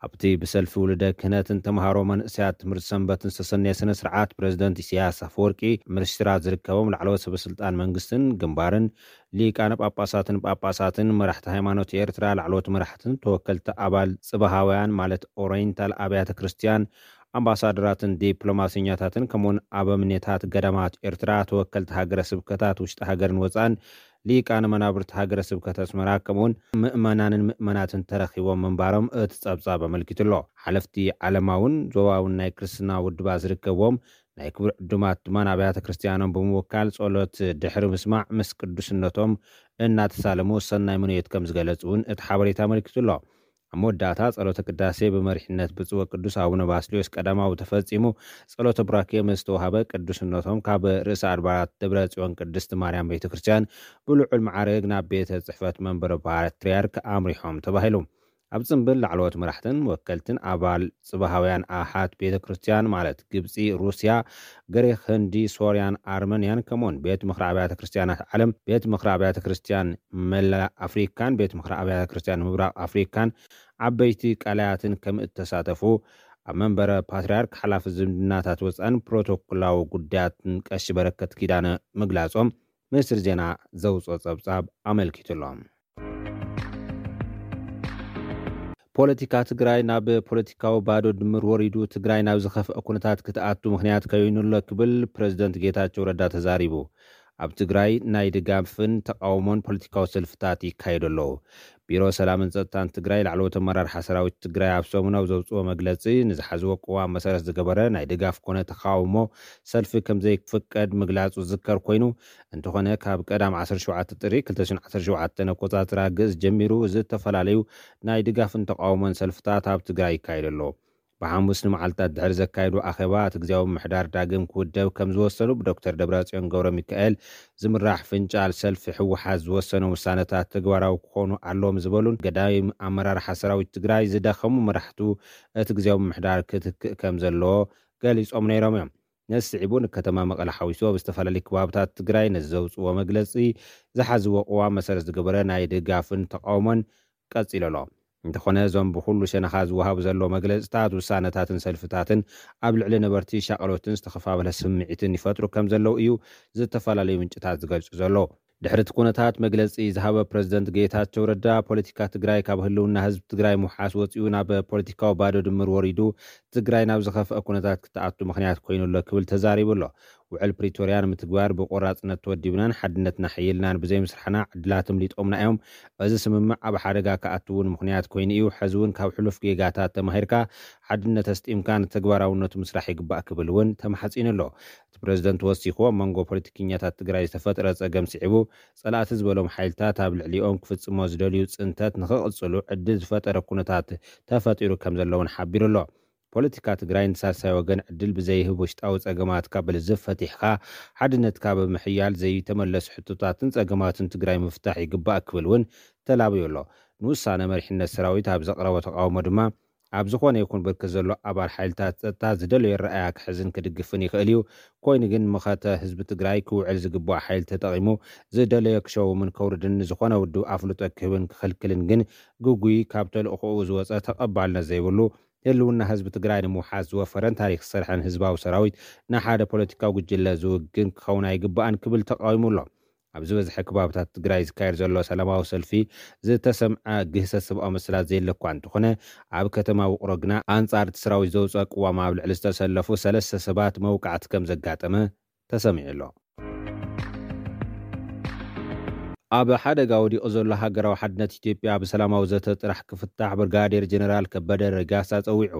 ኣብቲ ብሰልፊ ውልደ ክህነትን ተምሃሮ መንእሰያት ትምህርቲ ሰንበትን ዝተሰነየ ስነ ስርዓት፣ ፕሬዝደንት ኢሳያስ ኣፈወርቂ፣ ሚኒስትራት ዝርከቦም ላዕለዎት ሰበ ስልጣን መንግስትን ግንባርን፣ ሊቃነ ጳጳሳትን ጳጳሳትን፣ መራሕቲ ሃይማኖት ኤርትራ፣ ላዕለዎት መራሕትን ተወከልቲ ኣባል ጽባሃውያን ማለት ኦሪየንታል ኣብያተ ክርስቲያን፣ ኣምባሳደራትን ዲፕሎማሰኛታትን፣ ከምኡውን ኣበምኔታት ገዳማት ኤርትራ፣ ተወከልቲ ሃገረ ስብከታት ውሽጢ ሃገርን ወጻን፣ ሊቃነ መናብርቲ ሃገረ ስብከት ኣስመራ፣ ከምኡውን ምእመናንን ምእመናትን ተረኺቦም ምንባሮም እቲ ጸብጻብ ኣመልኪቱ ኣሎ። ሓለፍቲ ዓለማውን ዞባውን ናይ ክርስትና ውድባት ዝርከብዎም ናይ ክቡር ዕዱማት ድማ ንኣብያተ ክርስቲያኖም ብምውካል ጸሎት ድሕሪ ምስማዕ ምስ ቅዱስነቶም እናተሳለሙ ሰናይ ምንዮት ከም ዝገለጹ እውን እቲ ሓበሬታ ኣመልኪቱ ኣሎ። ኣብ መወዳእታ ጸሎተ ቅዳሴ ብመሪሕነት ብፁዕ ወቅዱስ ኣቡነ ባስልዮስ ቀዳማዊ ተፈጺሙ፣ ጸሎተ ቡራኬ ምስ ተዋሃበ ቅዱስነቶም ካብ ርእሰ ኣድባራት ደብረ ጽዮን ቅድስት ማርያም ቤተ ክርስቲያን ብልዑል ማዕርግ ናብ ቤተ ጽሕፈት መንበረ ፓትርያርክ ኣምሪሖም ተባሂሉ። ኣብ ጽምብል ላዕለዎት መራሕትን ወከልትን ኣባል ጽባሃውያን ኣሃት ቤተ ክርስቲያን ማለት ግብጺ፣ ሩስያ፣ ግሪኽ፣ ህንዲ፣ ሶርያን ኣርመንያን ከምኡውን ቤት ምኽሪ ኣብያተ ክርስቲያናት ዓለም፣ ቤት ምኽሪ ኣብያተ ክርስቲያን መላእ ኣፍሪካን ቤት ምኽሪ ኣብያተ ክርስቲያን ምብራቕ ኣፍሪካን ዓበይቲ ቀላያትን ከም እተሳተፉ ኣብ መንበረ ፓትርያርክ ሓላፊ ዝምድናታት ወፃን ፕሮቶኮላዊ ጉዳያትን ቀሺ በረከት ኪዳነ ምግላጾም ሚኒስትሪ ዜና ዘውፅኦ ጸብጻብ ኣመልኪቱ ኣሎ። ፖለቲካ ትግራይ ናብ ፖለቲካዊ ባዶ ድምር ወሪዱ፣ ትግራይ ናብ ዝኸፍአ ኩነታት ክትኣቱ ምኽንያት ከይኑ ኣሎ ክብል ፕሬዝደንት ጌታቸው ረዳ ተዛሪቡ። ኣብ ትግራይ ናይ ድጋፍን ተቃውሞን ፖለቲካዊ ሰልፍታት ይካየዱ ኣለዉ። ቢሮ ሰላምን ጸጥታን ትግራይ ላዕለዎት ኣመራርሓ ሰራዊት ትግራይ ኣብ ሰሙናዊ ዘውፅኦ መግለፂ፣ ንዝሓዝዎ ቅዋም መሰረት ዝገበረ ናይ ድጋፍ ኮነ ተቃውሞ ሰልፊ ከም ዘይፍቀድ ምግላፁ ዝዝከር ኮይኑ፣ እንተኾነ ካብ ቀዳም ዓሰርተ ሸውዓተ ጥሪ ክልተ ሽሕን ዓሰርተ ሸውዓተን ኣቆጻጽራ ግእዝ ጀሚሩ ዝተፈላለዩ ናይ ድጋፍን ተቃውሞን ሰልፍታት ኣብ ትግራይ ይካየዱ ኣለዉ። ብሓሙስ ንመዓልታት ድሕሪ ዘካየዱ ኣኼባ፣ እቲ ግዜያዊ ምምሕዳር ዳግም ክውደብ ከም ዝወሰኑ ብዶክተር ደብረጽዮን ገብረ ሚካኤል ዝምራሕ ፍንጫል ሰልፊ ህወሓት ዝወሰኖም ውሳነታት ተግባራዊ ክኾኑ ኣለዎም ዝበሉን ገዳይም ኣመራርሓ ሰራዊት ትግራይ ዝደኸሙ መራሕቱ እቲ ግዜያዊ ምምሕዳር ክትክእ ከም ዘለዎ ገሊጾም ነይሮም እዮም። ነዚ ስዒቡ ንከተማ መቐለ ሓዊሱ ኣብ ዝተፈላለዩ ከባብታት ትግራይ ነዚ ዘውፅዎ መግለፂ ዝሓዝዎ ቅዋም መሰረት ዝገበረ ናይ ድጋፍን ተቃውሞን ቀፂሉ ኣሎ። እንተኾነ እዞም ብኩሉ ሸነኻ ዝወሃቡ ዘለዉ መግለፅታት፣ ውሳነታትን ሰልፍታትን ኣብ ልዕሊ ነበርቲ ሻቕሎትን ዝተኸፋፈለ ስምዒትን ይፈጥሩ ከም ዘለዉ እዩ ዝተፈላለዩ ምንጭታት ዝገልጹ ዘለዉ። ድሕሪ እቲ ኩነታት መግለፂ ዝሃበ ፕሬዝደንት ጌታቸው ረዳ፣ ፖለቲካ ትግራይ ካብ ህልውና ህዝቢ ትግራይ ምውሓስ ወፂኡ ናብ ፖለቲካዊ ባዶ ድምር ወሪዱ፣ ትግራይ ናብ ዝኸፍአ ኩነታት ክትኣቱ ምኽንያት ኮይኑ ኣሎ ክብል ተዛሪቡ ኣሎ። ውዕል ፕሪቶርያ ንምትግባር ብቆራፅነት ተወዲብናን ሓድነትና ሓይልናን ብዘይምስራሕና ዕድላት እምሊጦምና እዮም። እዚ ስምምዕ ኣብ ሓደጋ ክኣቱ እውን ምኽንያት ኮይኑ እዩ። ሕዚ እውን ካብ ሕሉፍ ጌጋታት ተማሂርካ ሓድነት ኣስጢምካ ንተግባራውነቱ ምስራሕ ይግባእ ክብል እውን ተማሕፂኑ ኣሎ። እቲ ፕሬዝደንት ወሲኹ፣ ኣብ መንጎ ፖለቲከኛታት ትግራይ ዝተፈጥረ ፀገም ስዒቡ፣ ፀላእቲ ዝበሎም ሓይልታት ኣብ ልዕሊኦም ክፍፅሞ ዝደልዩ ፅንተት ንኽቕፅሉ ዕድል ዝፈጠረ ኩነታት ተፈጢሩ ከም ዘለውን ሓቢሩ ኣሎ። ፖለቲካ ትግራይ ንሳልሳይ ወገን ዕድል ብዘይህብ ውሽጣዊ ፀገማትካ ብልዝብ ፈቲሕካ ሓድነትካ ብምሕያል ዘይተመለሱ ሕቶታትን ፀገማትን ትግራይ ምፍታሕ ይግባእ ክብል እውን ተላብዩ ኣሎ። ንውሳነ መሪሕነት ሰራዊት ኣብ ዘቕረቦ ተቃውሞ ድማ ኣብ ዝኾነ ይኹን ብርክት ዘሎ ኣባል ሓይልታት ጸጥታ ዝደለዮ ረኣያ ክሕዝን ክድግፍን ይኽእል እዩ። ኮይኑ ግን መኸተ ህዝቢ ትግራይ ክውዕል ዝግባኦ ሓይሊ ተጠቒሙ ዝደለዮ ክሸውምን ከውርድን ንዝኾነ ውድብ ኣፍልጦ ክህብን ክኽልክልን ግን ግጉይ ካብ ተልእኾኡ ዝወፀ ተቐባልነት ዘይብሉ ህልውና ህዝቢ ትግራይ ንምውሓስ ዝወፈረን ታሪክ ዝሰርሐን ህዝባዊ ሰራዊት ንሓደ ፖለቲካዊ ጉጅለ ዝውግን ክኸውን ኣይግባእን ክብል ተቃዊሙ ኣሎ። ኣብ ዝበዝሐ ከባብታት ትግራይ ዝካየድ ዘሎ ሰላማዊ ሰልፊ ዝተሰምዐ ግህሰት ሰብኣዊ መሰላት ዘየለ እኳ እንተኾነ ኣብ ከተማ ውቕሮ ግና ኣንጻር እቲ ሰራዊት ዘውፅኦ ቅዋም ኣብ ልዕሊ ዝተሰለፉ ሰለስተ ሰባት መውቃዕቲ ከም ዘጋጠመ ተሰሚዑ ኣሎ። ኣብ ሓደጋ ወዲቑ ዘሎ ሃገራዊ ሓድነት ኢትዮጵያ ብሰላማዊ ዘተ ጥራሕ ክፍታሕ ብርጋዴር ጀነራል ከበደ ረጋሳ ጸዊዑ።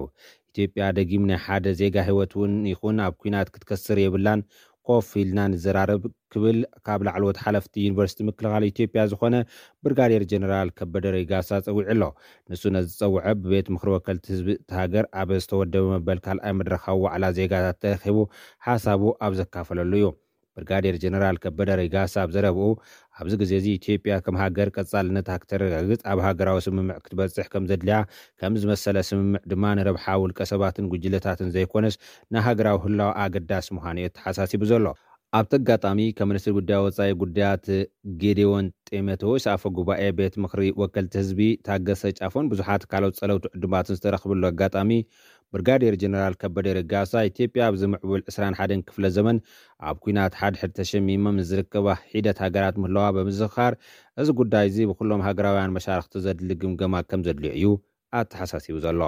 ኢትዮጵያ ደጊም ናይ ሓደ ዜጋ ህይወት እውን ይኹን ኣብ ኲናት ክትከስር የብላን፣ ኮፍ ኢልና ንዘራረብ ክብል ካብ ላዕለዎት ሓለፍቲ ዩኒቨርሲቲ ምክልኻል ኢትዮጵያ ዝኾነ ብርጋዴር ጀነራል ከበደ ረጋሳ ጸዊዑ ኣሎ። ንሱ ነዚ ዝጸውዐ ብቤት ምኽሪ ወከልቲ ህዝቢ እቲ ሃገር ኣብ ዝተወደበ መበል ካልኣይ መድረኻዊ ዋዕላ ዜጋታት ተረኺቡ ሓሳቡ ኣብ ዘካፈለሉ እዩ። ብርጋዴር ጀነራል ከበደ ረጋሳ ኣብ ዘረብኡ፣ ኣብዚ ግዜ እዚ ኢትዮጵያ ከም ሃገር ቀጻልነታ ክተረጋግጽ ኣብ ሃገራዊ ስምምዕ ክትበጽሕ ከም ዘድልያ፣ ከም ዝመሰለ ስምምዕ ድማ ንረብሓ ውልቀ ሰባትን ጉጅለታትን ዘይኮነስ ንሃገራዊ ህላወ ኣገዳሲ ምዃኑ እዩ ኣተሓሳሲቡ ዘሎ። ኣብቲ ኣጋጣሚ፣ ከም ሚኒስትር ጉዳይ ወጻኢ ጉዳያት፣ ጌዴዎን ጢሞቴዎስ፣ ኣፈ ጉባኤ ቤት ምኽሪ ወከልቲ ህዝቢ ታገሰ ጫፎን ብዙሓት ካልኦት ጸለውቲ ዕዱማትን ዝተረኽብሉ ኣጋጣሚ፣ ብርጋዴር ጀነራል ከበደ ረጋሳ፣ ኢትዮጵያ ኣብዚ ምዕቡል ዕስራን ሓደን ክፍለ ዘመን ኣብ ኲናት ሓድሕድ ተሸሚመን ዝርከባ ሒደት ሃገራት ምህላዋ ብምዝኽኻር፣ እዚ ጉዳይ እዚ ብኩሎም ሃገራውያን መሻርኽቲ ዘድሊ ግምገማ ከም ዘድልዮ እዩ ኣተሓሳሲቡ ዘሎ።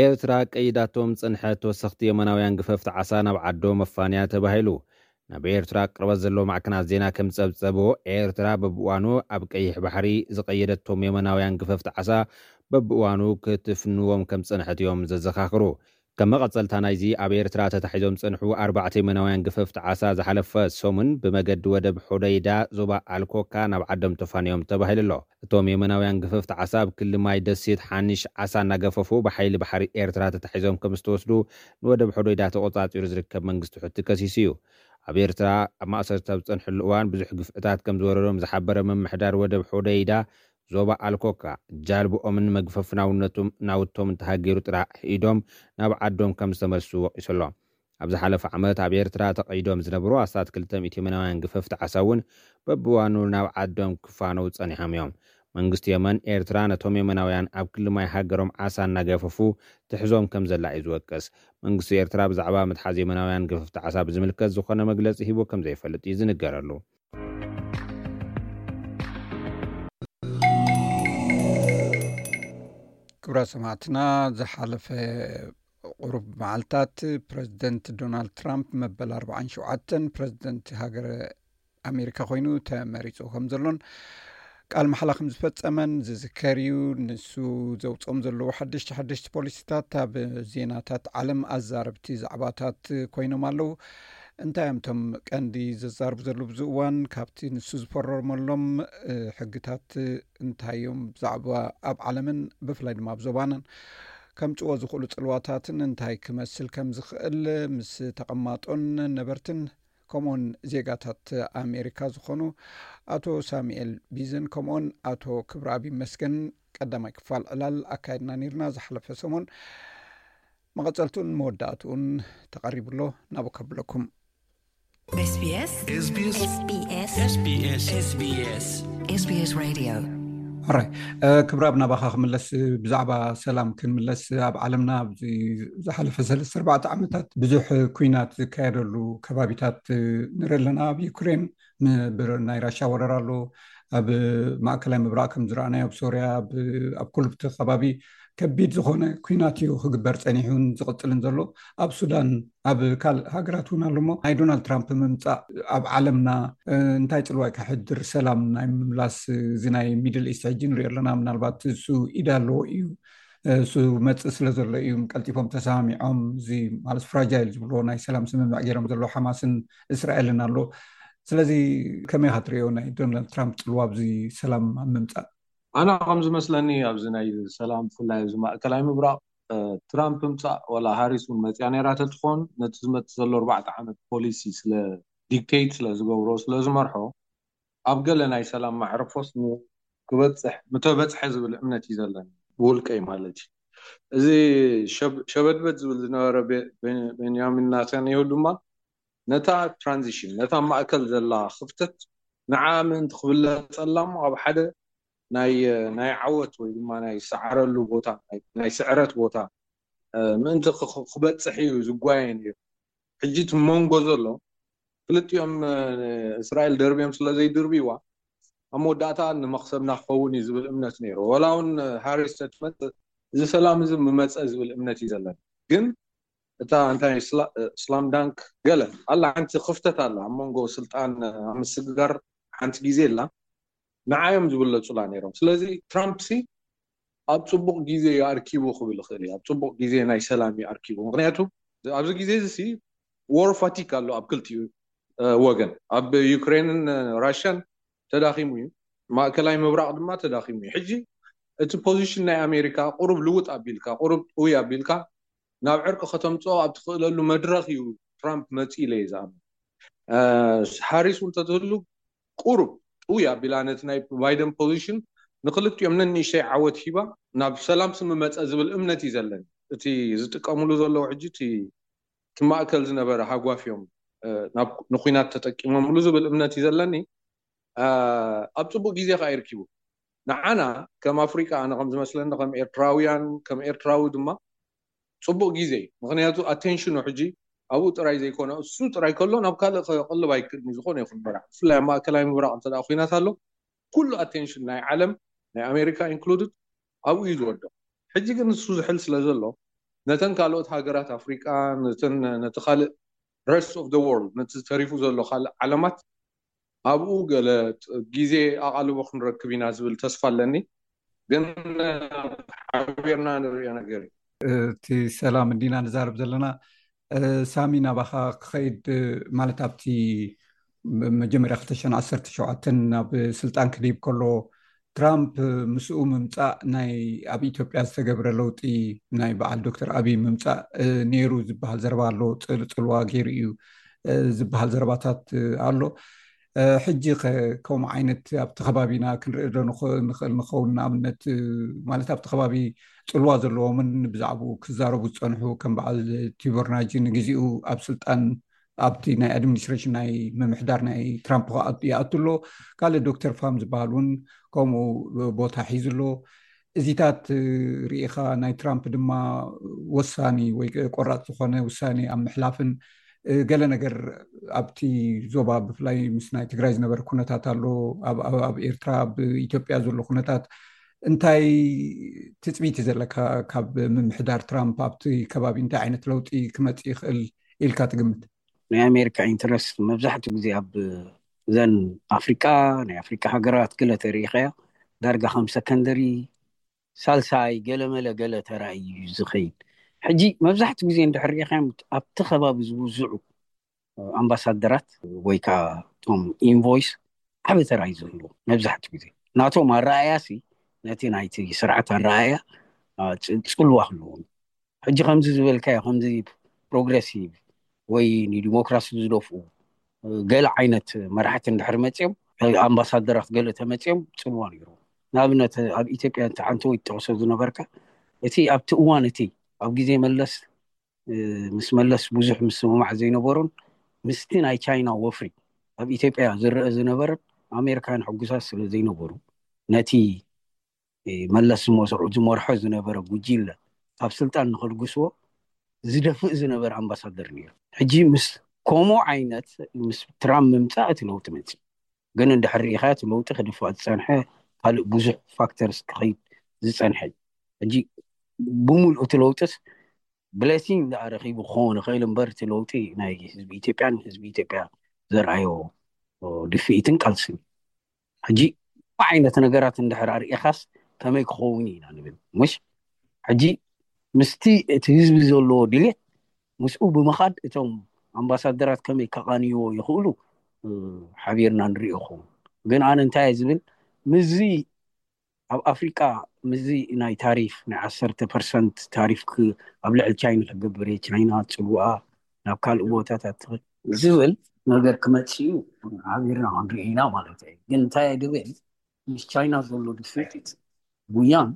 ኤርትራ ቀይዳቶም ዝጸንሐት ተወሰኽቲ የመናውያን ግፈፍቲ ዓሳ ናብ ዓዶም መፋንያ ተባሂሉ። ናብ ኤርትራ ቅርበት ዘለዎ ማዕከናት ዜና ከም ዝጸብጸቦ፣ ኤርትራ በብእዋኑ ኣብ ቀይሕ ባሕሪ ዝቐየደቶም የመናውያን ግፈፍቲ ዓሳ በብእዋኑ ክትፍንዎም ከም ዝጸንሐት እዮም ዘዘኻኽሩ። ከም መቐጸልታ ናይዚ፣ ኣብ ኤርትራ ተታሒዞም ዝጸንሑ ኣርባዕተ የመናውያን ግፈፍቲ ዓሳ ዝሓለፈ ሰሙን ብመገዲ ወደብ ሖደይዳ ዞባ ኣልኮካ ናብ ዓዶም ተፋንዮም ተባሂሉ ኣሎ። እቶም የመናውያን ግፈፍቲ ዓሳ ኣብ ክሊ ማይ ደሴት ሓኒሽ ዓሳ እናገፈፉ ብሓይሊ ባሕሪ ኤርትራ ተታሒዞም ከም ዝተወስዱ ንወደብ ሖደይዳ ተቖጻጺሩ ዝርከብ መንግስቲ ሑቲ ከሲሱ እዩ። ኣብ ኤርትራ ኣብ ማእሰርቲ ኣብ ዝጸንሕሉ እዋን ብዙሕ ግፍዕታት ከም ዝወረዶም ዝሓበረ ምምሕዳር ወደብ ሖደይዳ ዞባ ኣልኮካ፣ ጃልብኦምን መግፈፍ ናውነቱም ናውቶምን ተሃጊሩ ጥራሕ ኢዶም ናብ ዓዶም ከም ዝተመልሱ ወቒሱ ኣሎ። ኣብ ዝሓለፈ ዓመት ኣብ ኤርትራ ተቐይዶም ዝነበሩ ኣስታት ክልተ ሚእቲ የመናውያን ግፈፍቲ ዓሳ እውን በብእዋኑ ናብ ዓዶም ክፋነው ጸኒሖም እዮም። መንግስቲ የመን፣ ኤርትራ ነቶም የመናውያን ኣብ ክሊ ማይ ሃገሮም ዓሳ እናገፈፉ ትሕዞም ከም ዘላ እዩ ዝወቅስ። መንግስቲ ኤርትራ ብዛዕባ ምትሓዝ የመናውያን ግፈፍቲ ዓሳ ብዝምልከት ዝኾነ መግለጺ ሂቡ ከም ዘይፈልጥ እዩ ዝንገረሉ። ክቡራት ሰማዕትና፣ ዝሓለፈ ቁሩብ መዓልታት ፕረዚደንት ዶናልድ ትራምፕ መበል ኣርባዓን ሸውዓተን ፕረዚደንት ሃገረ ኣሜሪካ ኮይኑ ተመሪጹ ከም ዘሎን ቃል መሓላ ከም ዝፈጸመን ዝዝከር እዩ። ንሱ ዘውጽኦም ዘለዉ ሓደሽቲ ሓደሽቲ ፖሊሲታት ኣብ ዜናታት ዓለም ኣዛረብቲ ዛዕባታት ኮይኖም ኣለዉ። እንታይ እዮም እቶም ቀንዲ ዘዛርቡ ዘለዉ ኣብዚ እዋን? ካብቲ ንሱ ዝፈረመሎም፣ እ፣ ሕግታት እንታይ እዮም? ብዛዕባ ኣብ ዓለምን ብፍላይ ድማ ኣብ ዞባናን ከምጽዎ ዝኽእሉ ጽልዋታትን እንታይ ክመስል ከም ዝኽእል ምስ ተቐማጦን ነበርትን ከምኡውን ዜጋታት ኣሜሪካ ዝኾኑ ኣቶ ሳሙኤል ቢዝን ከምኡውን ኣቶ ክብረኣብ ይመስገን ቀዳማይ ክፋል ዕላል ኣካይድና ነይርና ዝሓለፈ ሰሙን። መቐጸልቱን መወዳእትኡን ተቐሪቡ ኣሎ። ናብኡ ከብለኩም። SBS SBS SBS SBS SBS Radio። ሕራይ፣ እ፣ ክብረኣብ፣ ናባኻ ክምለስ። ብዛዕባ ሰላም ክንምለስ፣ ኣብ ዓለምና ኣብዚ ዝሓለፈ ሰለስተ ኣርባዕተ ዓመታት ብዙሕ ኲናት ዝካየደሉ ከባቢታት ንርኢ ኣለና። ኣብ ዩክሬን፣ ም-፣ ብር-፣ ናይ ራሻ ወረራ ኣሎ። ኣብ ማእከላይ ምብራቕ ከም ዝረኣናዮ፣ ኣብ ሶርያ፣ ኣብ፣ ኣብ ኩሉ እቲ ከባቢ ከቢድ ዝኾነ ኲናት እዩ ክግበር ጸኒሑን ዝቕጽልን ዘሎ። ኣብ ሱዳን፣ ኣብ ካልእ ሃገራት እውን ኣሎ። እሞ ናይ ዶናልድ ትራምፕ ምምጻእ ኣብ ዓለምና፣ እ፣ እንታይ ጽልዋ እዩ ከሕድር? ሰላም ናይ ምምላስ፣ እ፣ እዚ ናይ ሚድል ኢስት ሕጂ ንሪኦ ኣለና። ምናልባት እሱ ኢድ ኣለዎ እዩ። እ፣ እሱ መጽእ ስለ ዘሎ እዩ ቀልጢፎም ተሰማሚዖም፣ እዚ ማለት ፍራጃይል ዝብልዎ ናይ ሰላም ስምምዕ ገይሮም ዘሎ ሓማስን እስራኤልን ኣሎ። ስለዚ ከመይ ኢኻ ትርእዮ ናይ ዶናልድ ትራምፕ ጽልዋ ኣብዚ ሰላም ኣብ ምምጻእ? ኣና ከም ዝመስለኒ፣ ኣብዚ ናይ ሰላም፣ ብፍላይ ኣብዚ ማእከላይ ምብራቕ፣ እ፣ ትራምፕ ምጻእ፣ ዋላ ሃሪስ እውን መጽያ ነይራ ተትኾን፣ ነቲ ዝመጽእ ዘሎ ኣርባዕተ ዓመት ፖሊሲ ስለ ዲክቴት ስለ ዝገብሮ፣ ስለ ዝመርሖ፣ ኣብ ገለ ናይ ሰላም ማዕርፎስ ን-፣ ክበጽሕ፣ ምተበጽሐ ዝብል እምነት እዩ ዘለኒ፣ ብውልቀይ ማለት እዩ። እዚ ሸብ-፣ ሸበድበድ ዝብል ዝነበረ ቤ-፣ ቤን-፣ ቤንያሚን ናታንያሁ ድማ ነታ ትራንዚሽን፣ ነታ ማእከል ዘላ ክፍተት፣ ንዓ ምእንቲ ክብለጸላ እሞ፣ ኣብ ሓደ ናይ፣ ናይ ዓወት ወይ ድማ ናይ ሰዓረሉ ቦታ፣ ናይ፣ ናይ ስዕረት ቦታ፣ እ፣ ምእንቲ ክ-፣ ክ-፣ ክበጽሕ እዩ ዝጓየ ነይሩ። ሕጂ እቲ መንጎ ዘሎ፣ ክልቲኦም፣ እ፣ እስራኤል ደርብዮም ስለ ዘይድርብይዋ፣ ኣብ መወዳእታ ንመኽሰብና ክኸውን እዩ ዝብል እምነት ነይሩ። ወላ እውን፣ እ፣ ሃሪስ ተትመጽእ፣ እዚ ሰላም እዚ ምመጸ ዝብል እምነት እዩ ዘለኒ። ግን እታ እንታይ ስላ-፣ እ፣ ስላም ዳንክ ገለ ኣላ፣ ሓንቲ ክፍተት ኣላ ኣብ መንጎ ስልጣን፣ እ፣ ኣብ ምስግጋር ሓንቲ ግዜ ኣላ። ንዓዮም ዝብለጹላ ነይሮም። ስለዚ ትራምፕ ሲ ኣብ ጽቡቕ ግዜ ይኣርኪቡ ክብል ይኽእል እዩ። ኣብ ጽቡቕ ግዜ ናይ ሰላም ይኣርኪቡ። ምኽንያቱ ኣብዚ ግዜ እዚ ሲ ዎር ፋቲግ ኣሎ ኣብ ክልቲኡ፣ እ፣ ወገን። ኣብ ዩክሬንን፣ እ፣ ራሽያን ተዳኺሙ እዩ። ማእከላይ ምብራቕ ድማ ተዳኺሙ እዩ። ሕጂ እቲ ፖዚሽን ናይ ኣሜሪካ ቁሩብ ልውጥ ኣቢልካ፣ ቁሩብ ጥውይ ኣቢልካ ናብ ዕርቂ ከተምጽኦ ኣብ ትኽእለሉ መድረኽ እዩ ትራምፕ መጺኡ ኢለ እየ ዝኣምን። እ፣ ሃሪስ እውን ተትህሉ ቁሩብ ጥውይ ኣቢላ ነቲ ናይ ባይደን ፖዚሽን ንክልቲኦም ነንእሽተይ ዓወት ሂባ ናብ ሰላም ስምመጸ ዝብል እምነት እዩ ዘለኒ። እቲ ዝጥቀምሉ ዘለዉ ሕጂ እቲ ክማእከል ዝነበረ ሃጓፍ እዮም ናብ ንኩናት ተጠቂሞምሉ ዝብል እምነት እዩ ዘለኒ። ኣብ ፅቡቅ ግዜ ከዓ ይርኪቡ። ንዓና ከም ኣፍሪቃ ኣነ ከም ዝመስለኒ ከም ኤርትራውያን ከም ኤርትራዊ ድማ ፅቡቅ ግዜ እዩ። ምክንያቱ ኣቴንሽኑ ሕጂ ኣብኡ ጥራይ ዘይኮነ እሱ ጥራይ ከሎ ናብ ካልእ ከቅልብ ኣይክእልን እዩ። ዝኾነ ይኹን መራሕ ብፍላይ ኣብ ማእከላይ ምብራቅ እንተ ኩናት ኣሎ ኩሉ ኣቴንሽን ናይ ዓለም ናይ ኣሜሪካ ኢንክሉድድ ኣብኡ እዩ ዝወድቕ። ሕጂ ግን ንሱ ዝሕል ስለ ዘሎ ነተን ካልኦት ሃገራት ኣፍሪቃ ነቲ ካልእ rest of the world ነቲ ተሪፉ ዘሎ ካልእ ዓለማት ኣብኡ ገለ ግዜ ኣቓልቦ ክንረክብ ኢና ዝብል ተስፋ ኣለኒ። ግን ሓቢርና ንሪኦ ነገር እዩ። እቲ ሰላም እንዲና ንዛረብ ዘለና። ሳሚ ናባኻ ክኸይድ ማለት ኣብቲ መጀመርያ ክልተ ሽሕን ዓሰርተ ሸውዓተን ናብ ስልጣን ክድይብ ከሎ ትራምፕ ምስኡ ምምፃእ ናይ ኣብ ኢትዮጵያ ዝተገብረ ለውጢ ናይ በዓል ዶክተር ኣብይ ምምፃእ ነይሩ ዝበሃል ዘረባ ኣሎ። ፅልዋ ገይሩ እዩ ዝበሃል ዘረባታት ኣሎ። ሕጂ ከምኡ ዓይነት ኣብቲ ከባቢና ክንርኢ ዶ ንኽእል ንኸውን? ንኣብነት ማለት ኣብቲ ከባቢ ፅልዋ ዘለዎምን ብዛዕባኡ ክዛረቡ ዝፀንሑ ከም በዓል ቲቦር ናጂ ንግዜኡ ኣብ ስልጣን ኣብቲ ናይ ኣድሚኒስትሬሽን ናይ ምምሕዳር ናይ ትራምፕ ይኣቱ ኣሎ። ካልእ ዶክተር ፋም ዝበሃል እውን ከምኡ ቦታ ሒዙ ኣሎ። እዚታት ርኢኻ ናይ ትራምፕ ድማ ወሳኒ ወይ ቆራፅ ዝኾነ ውሳኔ ኣብ ምሕላፍን ገለ ነገር ኣብቲ ዞባ ብፍላይ ምስ ናይ ትግራይ ዝነበረ ኩነታት ኣሎ፣ ኣብ ኤርትራ ኣብ ኢትዮጵያ ዘሎ ኩነታት እንታይ ትፅቢት ዘለካ ካብ ምምሕዳር ትራምፕ ኣብቲ ከባቢ እንታይ ዓይነት ለውጢ ክመፅእ ይኽእል ኢልካ ትግምት? ናይ ኣሜሪካ ኢንትረስት መብዛሕትኡ ግዜ ኣብ ዘን ኣፍሪቃ ናይ ኣፍሪቃ ሃገራት ገለ ተሪኢኻዮ ዳርጋ ከም ሰከንደሪ ሳልሳይ ገለመለ ገለ ተራእዩ እዩ ዝኸይድ። ሕጂ መብዛሕትኡ ግዜ እንድሕር ርኢኻዮም ኣብቲ ከባቢ ዝውዝዑ ኣምባሳደራት ወይ ከዓ እቶም ኢንቮይስ ዓበ ተራ እዩ ዝህልዎ። መብዛሕትኡ ግዜ ናቶም ኣረኣያ ሲ ነቲ ናይቲ ስርዓት ኣረኣያ ጽልዋ ክህልዎም። ሕጂ ከምዚ ዝበልካዮ ከምዚ ፕሮግረሲቭ ወይ ንዲሞክራሲ ዝደፍኡ ገለ ዓይነት መራሕቲ እንድሕር መፅኦም ኣምባሳደራት ገለ ተመፅኦም ፅልዋ ነይሩ። ንኣብነት ኣብ ኢትዮጵያ እቲ ዓንተወይ ትጠቕሶ ዝነበርካ እቲ ኣብቲ እዋን እቲ ኣብ ግዜ መለስ ምስ መለስ ብዙሕ ምስምማዕ ዘይነበሩን ምስቲ ናይ ቻይና ወፍሪ ኣብ ኢትዮጵያ ዝረአ ዝነበረን ኣሜሪካውያን ሕጉሳት ስለ ዘይነበሩ ነቲ መለስ ዝመርሖ ዝነበረ ጉጅለ ካብ ስልጣን ንኸልግስዎ ዝደፍእ ዝነበረ ኣምባሳደር ነይሩ። ሕጂ ምስ ከምኡ ዓይነት ምስ ትራምፕ ምምፃእ እቲ ለውጢ መፅእ። ግን እንድሕር ርኢኻ እቲ ለውጢ ክድፋእ ዝፀንሐ ካልእ ብዙሕ ፋክተርስ ክኸይድ ዝፀንሐ እዩ። ሕጂ ብምሉእ እቲ ለውጢስ ብሌሲንግ ደኣ ረኺቡ ክኸውን ይኽእል እምበር እቲ ለውጢ ናይ ህዝቢ ኢትዮጵያን ህዝቢ ኢትዮጵያ ዘርኣዮ ድፍኢትን ቃልስን። ሕጂ ዓይነት ነገራት እንድሕር ኣርኢኻስ ከመይ ክኸውን ኢና ንብል ምሽ? ሕጂ ምስቲ እቲ ህዝቢ ዘለዎ ድሌት ምስኡ ብምኻድ እቶም ኣምባሳደራት ከመይ ከቓንይዎ ይኽእሉ ሓቢርና ንሪኦ ክኸውን። ግን ኣነ እንታይ ዝብል ምዚ ኣብ ኣፍሪቃ ምዚ ናይ ታሪፍ ናይ ዓሰርተ ፐርሰንት ታሪፍ ኣብ ልዕሊ ቻይና ክገብር እየ፣ ቻይና ፅልዋኣ ናብ ካልእ ቦታታት ዝብል ነገር ክመፅእ እዩ። ሓቢርና ክንርኢ ኢና ማለት እዩ። ግን እንታይ ድብል ምስ ቻይና ዘሎ ድፍኢት ጉያን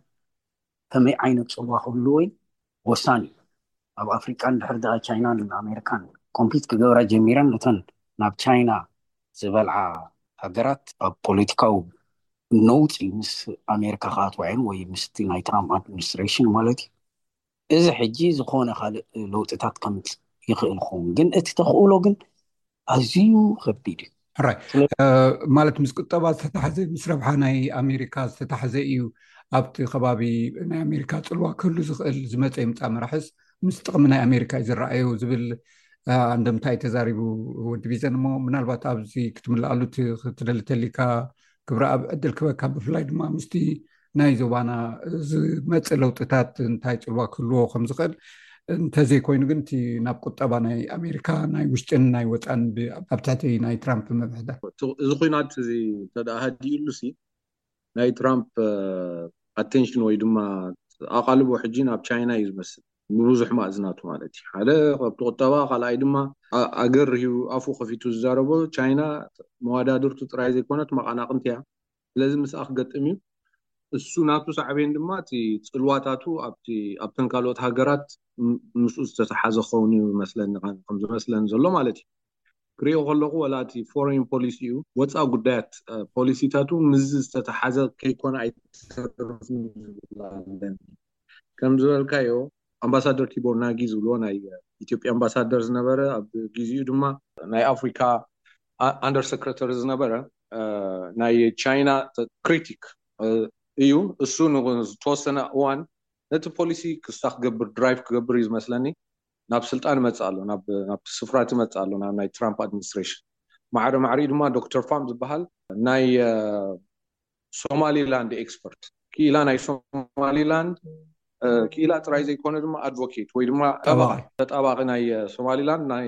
ከመይ ዓይነት ፅልዋ ክህልዎ ወሳኒ እዩ። ኣብ ኣፍሪቃ እንድሕር ደኣ ቻይናን ኣሜሪካን ኮምፒት ክገብራ ጀሚረን ነተን ናብ ቻይና ዝበልዓ ሃገራት ኣብ ፖለቲካዊ ነውፂ ምስ ኣሜሪካ ክኣትዋ እየን ወይ ምስቲ ናይ ትራምፕ ኣድሚኒስትሬሽን ማለት እዩ። እዚ ሕጂ ዝኾነ ካልእ ለውጥታት ከምፅእ ይኽእል ክኸውን ግን እቲ ተኽእሎ ግን ኣዝዩ ከቢድ እዩ። ሕራይ ማለት ምስ ቁጠባ ዝተታሕዘ ምስ ረብሓ ናይ ኣሜሪካ ዝተታሕዘ እዩ። ኣብቲ ከባቢ ናይ ኣሜሪካ ፅልዋ ክህሉ ዝኽእል ዝመፀ ይምፃእ መራሕስ ምስ ጥቕሚ ናይ ኣሜሪካ እዩ ዝረኣዮ ዝብል ኣንደምታ እዩ ተዛሪቡ ወዲ ቢዘን። እሞ ምናልባት ኣብዚ ክትምልኣሉ ክትደሊ ተሊካ ክብረ ኣብ ዕድል ክበካ ብፍላይ ድማ ምስቲ ናይ ዞባና ዝመፅእ ለውጥታት እንታይ ፅልዋ ክህልዎ ከም ዝኽእል እንተዘይኮይኑ ግን እቲ ናብ ቁጠባ ናይ ኣሜሪካ ናይ ውሽጥን ናይ ወፃን ኣብ ትሕቲ ናይ ትራምፕ ምምሕዳር እዚ ኩናት እዚ እንተ ሃዲኡሉ ሲ ናይ ትራምፕ ኣቴንሽን ወይ ድማ ኣቓልቦ ሕጂ ናብ ቻይና እዩ ዝመስል ብብዙሕ ማእዝናቱ ማለት እዩ። ሓደ ካብቲ ቁጠባ ካልኣይ ድማ ኣገር ሂቡ ኣፉ ከፊቱ ዝዛረቦ ቻይና መዋዳድርቱ ጥራይ ዘይኮነት መቓናቕንቲ እያ። ስለዚ ምስኣ ክገጥም እዩ። እሱ ናቱ ሳዕቤን ድማ እቲ ጽልዋታቱ ኣብቲ ኣብተን ካልኦት ሃገራት ም- ምስኡ ዝተተሓዘ ክኸውን እዩ መስለኒ፣ ከም ዝመስለኒ ዘሎ ማለት እዩ። ክሪኦ ከለኹ ወላ እቲ ፎሬን ፖሊሲ እዩ፣ ወፃእ ጉዳያት ፖሊሲታቱ ምስዚ ዝተተሓዘ ከይኮነ ኣይተርፍን ዝብል ኣለኒ። ከም ዝበልካዮ ኣምባሳደር ቲቦር ናጊ ዝብልዎ ናይ ኢትዮጵያ ኣምባሳደር ዝነበረ፣ ኣብ ግዚኡ ድማ ናይ ኣፍሪካ ኣንደር ሰክረተሪ ዝነበረ፣ ናይ ቻይና ክሪቲክ እዩ። እሱ ንዝተወሰነ እዋን ነቲ ፖሊሲ ክሳ ክገብር ድራይቭ ክገብር እዩ ዝመስለኒ ናብ ስልጣን ይመፅእ ኣሎ፣ ናብ ስፍራ ይመፅእ ኣሎ፣ ናብ ናይ ትራምፕ ኣድሚኒስትሬሽን። ማዕረ ማዕሪኡ ድማ ዶክተር ፋም ዝበሃል ናይ ሶማሊላንድ ኤክስፐርት፣ ክኢላ ናይ ሶማሊላንድ ክኢላ ጥራይ ዘይኮነ ድማ ኣድቮኬት ወይ ድማ ጠበቃ፣ ተጣባቂ ናይ ሶማሊላንድ ናይ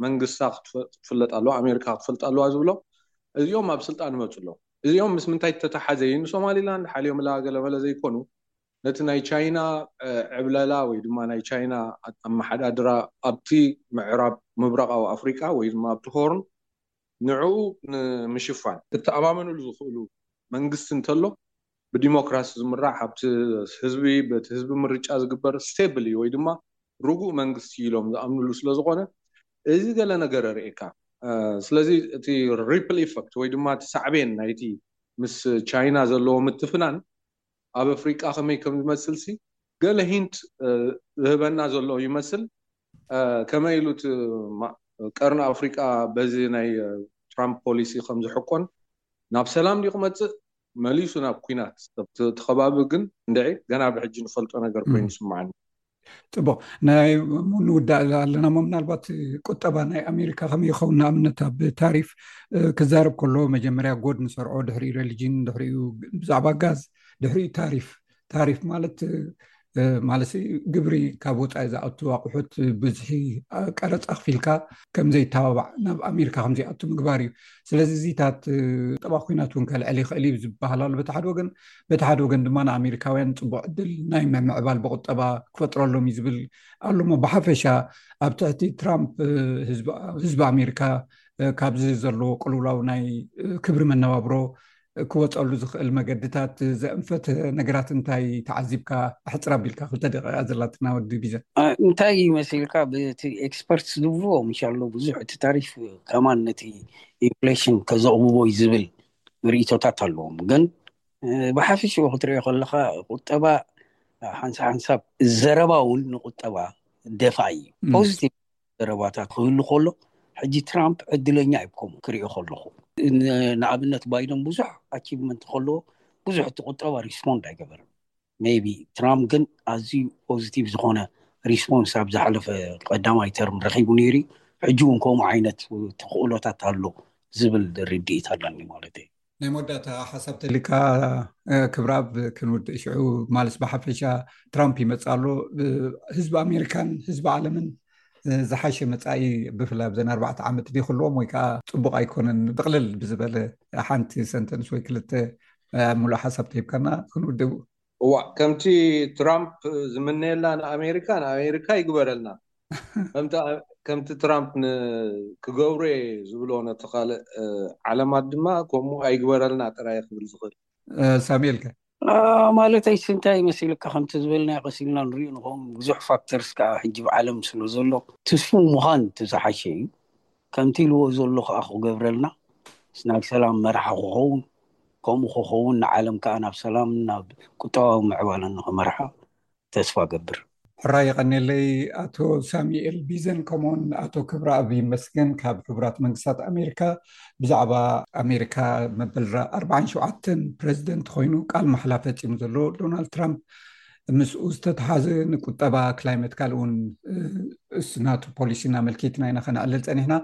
መንግስታ ክትፍለጥ ኣለዋ፣ ኣሜሪካ ክትፈልጥ ኣለዋ ዝብሎ፣ እዚኦም ኣብ ስልጣን ይመፁ ኣለዉ። እዚኦም ምስ ምንታይ ተተሓዘ እዩ ንሶማሊላንድ ሓልዮምላ ገለመለ ዘይኮኑ፣ ነቲ ናይ ቻይና ዕብለላ ወይ ድማ ናይ ቻይና ኣመሓዳድራ ኣብቲ ምዕራብ ምብራቃዊ ኣፍሪቃ ወይ ድማ ኣብቲ ሆርን ንዕኡ ንምሽፋን ክተኣማመኑሉ ዝኽእሉ መንግስቲ እንተሎ፣ ብዲሞክራሲ ዝምራሕ፣ ኣብቲ ህዝቢ በቲ ህዝቢ ምርጫ ዝግበር ስቴብል እዩ ወይ ድማ ርጉእ መንግስቲ ኢሎም ዝኣምንሉ ስለዝኾነ፣ እዚ ገለ ነገር ርእካ። ስለዚ እቲ ሪፕል ኢፈክት ወይ ድማ እቲ ሳዕቤን ናይቲ ምስ ቻይና ዘለዎ ምትፍናን ኣብ ኣፍሪቃ ከመይ ከም ዝመስል ሲ ገለ ሂንት ዝህበና ዘሎ ይመስል። ከመይ ኢሉ እቲ ቀርኒ ኣፍሪቃ በዚ ናይ ትራምፕ ፖሊሲ ከም ዝሕቆን፣ ናብ ሰላም ድዩ ክመፅእ መሊሱ ናብ ኩናት? እቲ ከባቢ ግን እንድዒ ገና ብሕጂ ንፈልጦ ነገር ኮይኑ ይስምዓኒ። ፅቡቅ፣ ናይ ንውዳእ ኣለና ሞ ምናልባት ቁጠባ ናይ ኣሜሪካ ከመይ ይኸውን? ንኣብነት ኣብ ታሪፍ ክዛረብ ከሎ መጀመርያ ጎድ ንሰርዖ፣ ድሕሪኡ ሬሊጅን፣ ድሕሪኡ ብዛዕባ ጋዝ፣ ድሕሪኡ ታሪፍ። ታሪፍ ማለት ማለት ግብሪ ካብ ወፃኢ ዝኣቱ ኣቑሑት ብዝሒ ቀረፃ ክፊልካ ከምዘይተባባዕ ናብ ኣሜሪካ ከምዘይኣቱ ምግባር እዩ። ስለዚ እዚታት ቁጠባ ኩናት እውን ከልዕል ይኽእል እዩ ዝበሃል ኣሎ በቲ ሓደ ወገን። በቲ ሓደ ወገን ድማ ንኣሜሪካውያን ፅቡቅ ዕድል ናይ ምምዕባል ብቁጠባ ክፈጥረሎም እዩ ዝብል ኣሎ። እሞ ብሓፈሻ ኣብ ትሕቲ ትራምፕ ህዝቢ ኣሜሪካ ካብዚ ዘለዎ ቅልውላው ናይ ክብሪ መነባብሮ ክወፀሉ ዝኽእል መገድታት ዘእንፈት ነገራት እንታይ ተዓዚብካ? ኣሕፅር ኣቢልካ ክልተ ደቂቃ ዘላትና ወዲ ቢዘን። እንታይ ይመስልካ? ብቲ ኤክስፐርትስ ዝብልዎ ምሻሎ ብዙሕ እቲ ታሪፍ ከማን ነቲ ኢንፍሌሽን ከዘቕብቦ እዩ ዝብል ርእይቶታት ኣለዎም። ግን ብሓፈሽኡ ክትሪኦ ከለካ ቁጠባ ሓንሳብ ሓንሳብ ዘረባ እውን ንቁጠባ ደፋ እዩ። ፖዚቲቭ ዘረባታት ክህሉ ከሎ ሕጂ ትራምፕ ዕድለኛ እዩ ከምኡ ክሪኦ ከለኹ። ንኣብነት ባይደን ብዙሕ ኣቺቭመንት ከለዎ ብዙሕ እቲ ቁጠባ ሪስፖንድ ኣይገበረን። ሜይቢ ትራምፕ ግን ኣዝዩ ፖዚቲቭ ዝኾነ ሪስፖንስ ኣብ ዝሓለፈ ቀዳማይ ተርም ረኺቡ ነይሩ። ሕጂ እውን ከምኡ ዓይነት ተኽእሎታት ኣሎ ዝብል ርድኢት ኣለኒ ማለት እዩ። ናይ መወዳእታ ሓሳብ ተሊካ ክብራብ ክንውድእ ሽዑ ማለስ ብሓፈሻ ትራምፕ ይመፅእ ኣሎ። ህዝቢ ኣሜሪካን ህዝቢ ዓለምን ዝሓሸ መፃኢ ብፍላይ ኣብዘን ኣርባዕተ ዓመት ድዩ ክህልዎም ወይ ከዓ ፅቡቅ ኣይኮነን? ጥቅልል ብዝበለ ሓንቲ ሰንተንስ ወይ ክልተ ሙሉእ ሓሳብ ተሂብካና ክንውድእ። እዋ ከምቲ ትራምፕ ዝምነየላ ንኣሜሪካ ንኣሜሪካ ይግበረልና። ከምቲ ትራምፕ ክገብሮ ዝብሎ ነቲ ካልእ ዓለማት ድማ ከምኡ ኣይግበረልና ጥራይ ክብል ዝኽእል። ሳሙኤልከ? ማለተይስ እንታይ መሲልካ ከምቲ ዝበልናዮ ቀሲልና ንሪኦ ንኸውን ብዙሕ ፋክተርስ ከዓ ሕጂ ብዓለም ስለ ዘሎ ትስፉው ምዃን እቲ ዝሓሸ እዩ። ከምቲ ኢልዎ ዘሎ ከዓ ክገብረልና ናይ ሰላም መርሓ ክኸውን፣ ከምኡ ክኸውን ንዓለም ከዓ ናብ ሰላም ናብ ቁጠባዊ ምዕባለን ንክመርሓ ተስፋ ገብር። ሕራይ የቐኔለይ ኣቶ ሳሙኤል ቢዘን ከምኡውን ኣቶ ክብረኣብ ይመስገን ካብ ሕቡራት መንግስታት ኣሜሪካ ብዛዕባ ኣሜሪካ መበል ኣርባዓን ሸውዓተን ፕረዚደንት ኮይኑ ቃል ማሕላ ፈፂሙ ዘሎ ዶናልድ ትራምፕ ምስኡ ዝተተሓዘ ንቁጠባ ክላይመት ካልእ እውን እሱ ናቱ ፖሊሲ እናመልኪትና ኢና ከነዕልል ፀኒሕና።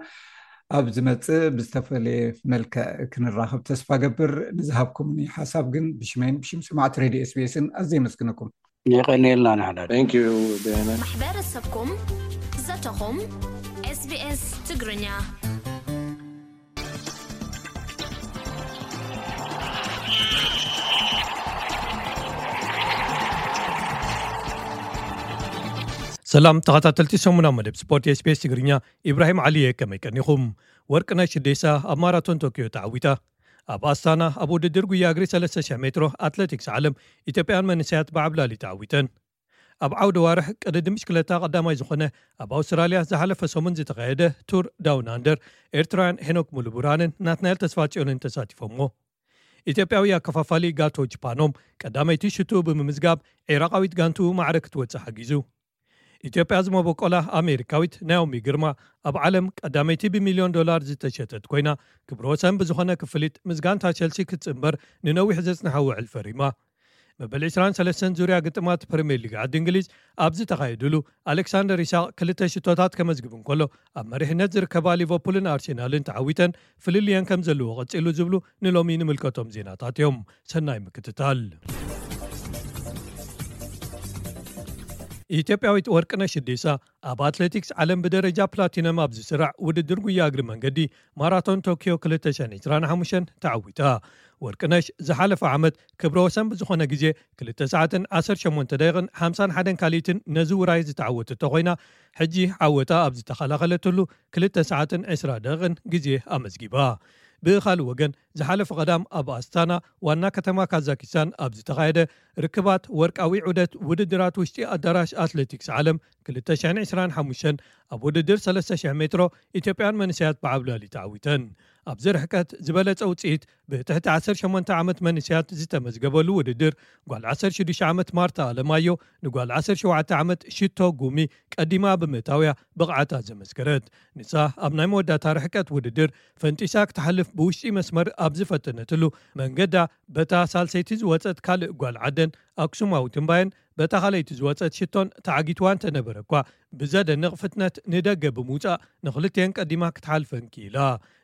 ኣብ ዝመፅእ ብዝተፈለየ መልክዕ ክንራኸብ ተስፋ ገብር። ንዝሃብኩምኒ ሓሳብ ግን ብሽመይን ብሽም ሰማዕቲ ሬድዮ ኤስቢኤስን ኣዝየ የመስግነኩም። የቐንየልና ንሕና። Thank you, Diana. ማሕበረሰብኩም ዘተኹም ኤስቢኤስ ትግርኛ። ሰላም ተኸታተልቲ ሰሙናዊ መደብ ስፖርት ኤስቢኤስ ትግርኛ፣ ኢብራሂም ዓሊ እየ። ከመይ ቀኒኹም? ወርቅነሽ ደሳ ኣብ ማራቶን ቶኪዮ ተዓዊታ። ኣብ ኣስታና ኣብ ውድድር ጉያ እግሪ ሰለስተ ሽሕ ሜትሮ ኣትሌቲክስ ዓለም፣ ኢትዮጵያን መንእሰያት ብዓብላሊ ተዓዊተን። ኣብ ዓውደ ዋርሕ ቅድድም ብሽክለታ ቀዳማይ ዝኾነ ኣብ ኣውስትራልያ ዝሓለፈ ሰሙን ዝተኻየደ ቱር ዳውን ኣንደር፣ ኤርትራውያን ሄኖክ ሙሉብርሃንን ናትናኤል ተስፋጽዮንን ተሳቲፎሞ። ኢትዮጵያዊ ኣከፋፋሊ ጋቶ ጅፓኖም ቀዳመይቲ ሽቱ ብምምዝጋብ፣ ዒራቃዊት ጋንቱ ማዕረ ክትወጽእ ሓጊዙ። ኢትዮጵያ ዝመበቆላ ኣሜሪካዊት ናኦሚ ግርማ ኣብ ዓለም ቀዳመይቲ ብሚልዮን ዶላር ዝተሸጠት ኮይና፣ ክብረ ወሰን ብዝኾነ ክፍሊት ምስ ጋንታ ቸልሲ ክትጽንበር ንነዊሕ ዘጽንሓ ውዕል ፈሪማ። መበል ዕስራን ሰለስተን ዙርያ ግጥማት ፕሪምየር ሊግ ዓዲ እንግሊዝ ኣብ ዝተኻየድሉ፣ ኣሌክሳንደር ኢሳቕ ክልተ ሽቶታት ከመዝግብ እንከሎ፣ ኣብ መሪሕነት ዝርከባ ሊቨርፑልን ኣርሴናልን ተዓዊተን ፍልልየን ከም ዘለዎ ቀጺሉ ዝብሉ ንሎሚ ንምልከቶም ዜናታት እዮም። ሰናይ ምክትታል። ኢትዮጵያዊት ወርቅነሽ እዴሳ ኣብ ኣትሌቲክስ ዓለም ብደረጃ ፕላቲነም ኣብ ዝስራዕ ውድድር ጉያ እግሪ መንገዲ ማራቶን ቶኪዮ ክልተ ሽሕን ዕስራን ሓሙሽተን ተዓዊታ። ወርቅነሽ ዝሓለፈ ዓመት ክብረ ወሰን ብዝኾነ ግዜ ክልተ ሰዓትን ዓሰርተ ሸሞንተ ደቂቕን ሓምሳን ሓደን ካልኢትን ነዚ ውራይ ዝተዓወተቶ ኮይና፣ ሕጂ ዓወታ ኣብ ዝተኸላኸለትሉ ክልተ ሰዓትን ዕስራ ደቂቕን ግዜ ኣመዝጊባ። ብኻልእ ወገን፣ ዝሓለፈ ቀዳም ኣብ ኣስታና ዋና ከተማ ካዛኪስታን ኣብ ዝተኻየደ ርክባት ወርቃዊ ዑደት ውድድራት ውሽጢ ኣዳራሽ ኣትሌቲክስ ዓለም ክልተ ሽሕን ዕስራን ሓሙሽተን ኣብ ውድድር ሰለስተ ሽሕ ሜትሮ፣ ኢትዮጵያን መንእሰያት ብዓብላሊ ተዓዊተን። ኣብዚ ርሕቀት ዝበለጸ ውጽኢት ብትሕቲ ዓሰርተ ሸሞንተ ዓመት መንእሰያት ዝተመዝገበሉ ውድድር፣ ጓል ዓሰርተ ሽዱሽተ ዓመት ማርታ ኣለማዮ ንጓል ዓሰርተ ሸውዓተ ዓመት ሽቶ ጉሚ ቀዲማ ብምእታውያ ብቕዓታ ዘመስከረት። ንሳ ኣብ ናይ መወዳእታ ርሕቀት ውድድር ፈንጢሳ ክትሓልፍ ብውሽጢ መስመር ኣብ ዝፈተነትሉ መንገዳ፣ በታ ሳልሰይቲ ዝወጸት ካልእ ጓል ዓደን ኣክሱማዊት እምባየን በታ ካልኣይቲ ዝወጸት ሽቶን ተዓጊትዋ እንተነበረ እኳ፣ ብዘደንቕ ፍጥነት ንደገ ብምውጻእ ንኽልቲኤን ቀዲማ ክትሓልፈን ክኢላ።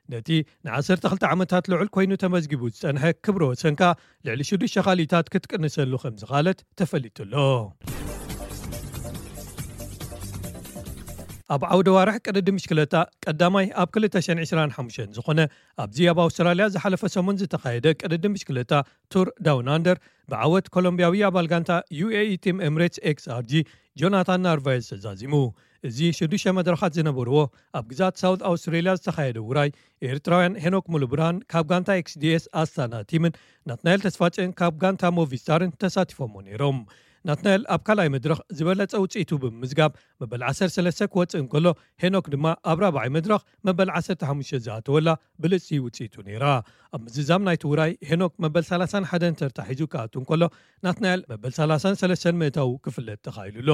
ነቲ ንዓሰርተ ክልተ ዓመታት ልዑል ኮይኑ ተመዝጊቡ ዝጸንሐ ክብረ ወሰን ከኣ ልዕሊ ሽዱሽተ ካልኢታት ክትቅንሰሉ ከም ዝኻለት ተፈሊጡ ኣሎ። ኣብ ዓውደ ዋርሕ ቅድድም ብሽክለታ ቀዳማይ ኣብ ክልተ ሽሕን ዕስራን ሓሙሽተን ዝኾነ ኣብዚ ኣብ ኣውስትራልያ ዝሓለፈ ሰሙን ዝተኻየደ ቅድድም ብሽክለታ ቱር ዳውን ኣንደር ብዓወት ኮሎምቢያዊ ኣባል ጋንታ ዩ ኤ ኢ ቲም ኤምሬትስ ኤክስ ኣር ጂ ጆናታን ናርቫየዝ ተዛዚሙ። እዚ ሽዱሽተ መድረኻት ዝነበርዎ ኣብ ግዛት ሳውት ኣውስትሬልያ ዝተኻየደ ውራይ፣ ኤርትራውያን ሄኖክ ሙሉብርሃን ካብ ጋንታ ኤክስ ዲ ኤስ ኣስታና ቲምን ናትናኤል ተስፋጽዮን ካብ ጋንታ ሞቪስታርን ተሳቲፎሞ ነይሮም። ናትናኤል ኣብ ካልኣይ መድረኽ ዝበለጸ ውጽኢቱ ብምምዝጋብ መበል ዓሰርተ ሰለስተ ክወጽእ እንከሎ፣ ሄኖክ ድማ ኣብ ራብዓይ መድረኽ መበል ዓሰርተ ሓሙሽተ ዝኣተወላ ብልጽቲ ውጽኢቱ ነይራ። ኣብ ምዝዛም ናይቲ ውራይ ሄኖክ መበል ሰላሳን ሓደን ተርታ ሒዙ ክኣቱ እንከሎ፣ ናትናኤል መበል ሰላሳን ሰለስተን ምእታው ክፍለጥ ተኻኢሉ ኣሎ።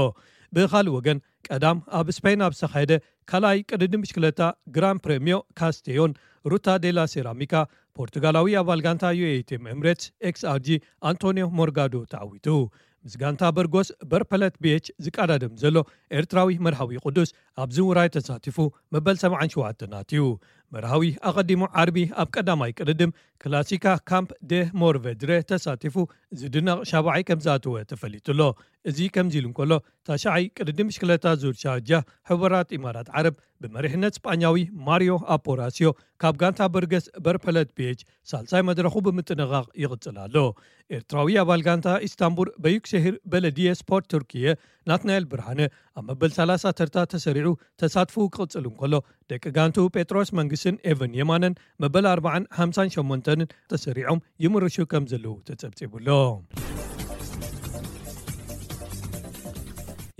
ብኻልእ ወገን፣ ቀዳም ኣብ ስፔን ኣብ ዝተኻየደ ካልኣይ ቅድድም ብሽክለታ ግራን ፕሬምዮ ካስቴዮን፣ ሩታ ዴላ ሴራሚካ፣ ፖርቱጋላዊ ኣባል ጋንታ ዩ ኤ ኢ ቲም ኤምሬትስ ኤክስ ኣር ጂ ኣንቶኒዮ ሞርጋዶ ተዓዊቱ። ምስ ጋንታ በርጎስ በርፐለት ቢ ኤች ዝቀዳደም ዘሎ ኤርትራዊ መርሃዊ ቅዱስ ኣብዚ ውራይ ተሳቲፉ መበል ሰብዓን ሸውዓተን ኣትዩ። መርሃዊ ኣቐዲሙ ዓርቢ ኣብ ቀዳማይ ቅድድም ክላሲካ ካምፕ ደ ሞርቬድረ ተሳቲፉ ዝድነቕ ሻብዓይ ከም ዝኣተወ ተፈሊጡ ኣሎ። እዚ ከምዚ ኢሉ እንከሎ፣ ታሽዓይ ቅድድም ብሽክለታ ዙር ሻርጃ ሕቡራት ኢማራት ዓረብ ብመሪሕነት ስጳኛዊ ማሪዮ ኣፖራሲዮ ካብ ጋንታ በርገስ በርፐለት ቢ ኤች ሳልሳይ መድረኹ ብምጥንቓቕ ይቕጽል ኣሎ። ኤርትራዊ ኣባል ጋንታ ኢስታንቡል በዩክሸሂር በለድየ ስፖርት ቱርክየ ናትናኤል ብርሃነ ኣብ መበል ሰላሳ ተርታ ተሰሪዑ ተሳትፎኡ ክቕጽል እንከሎ፣ ደቂ ጋንቱ ጴጥሮስ መንግስትን ኤቨን የማነን መበል ኣርባዓን ሓምሳን ሸሞንተንን ተሰሪዖም ይምርሹ ከም ዘለዉ ተጸብጺቡ ኣሎ።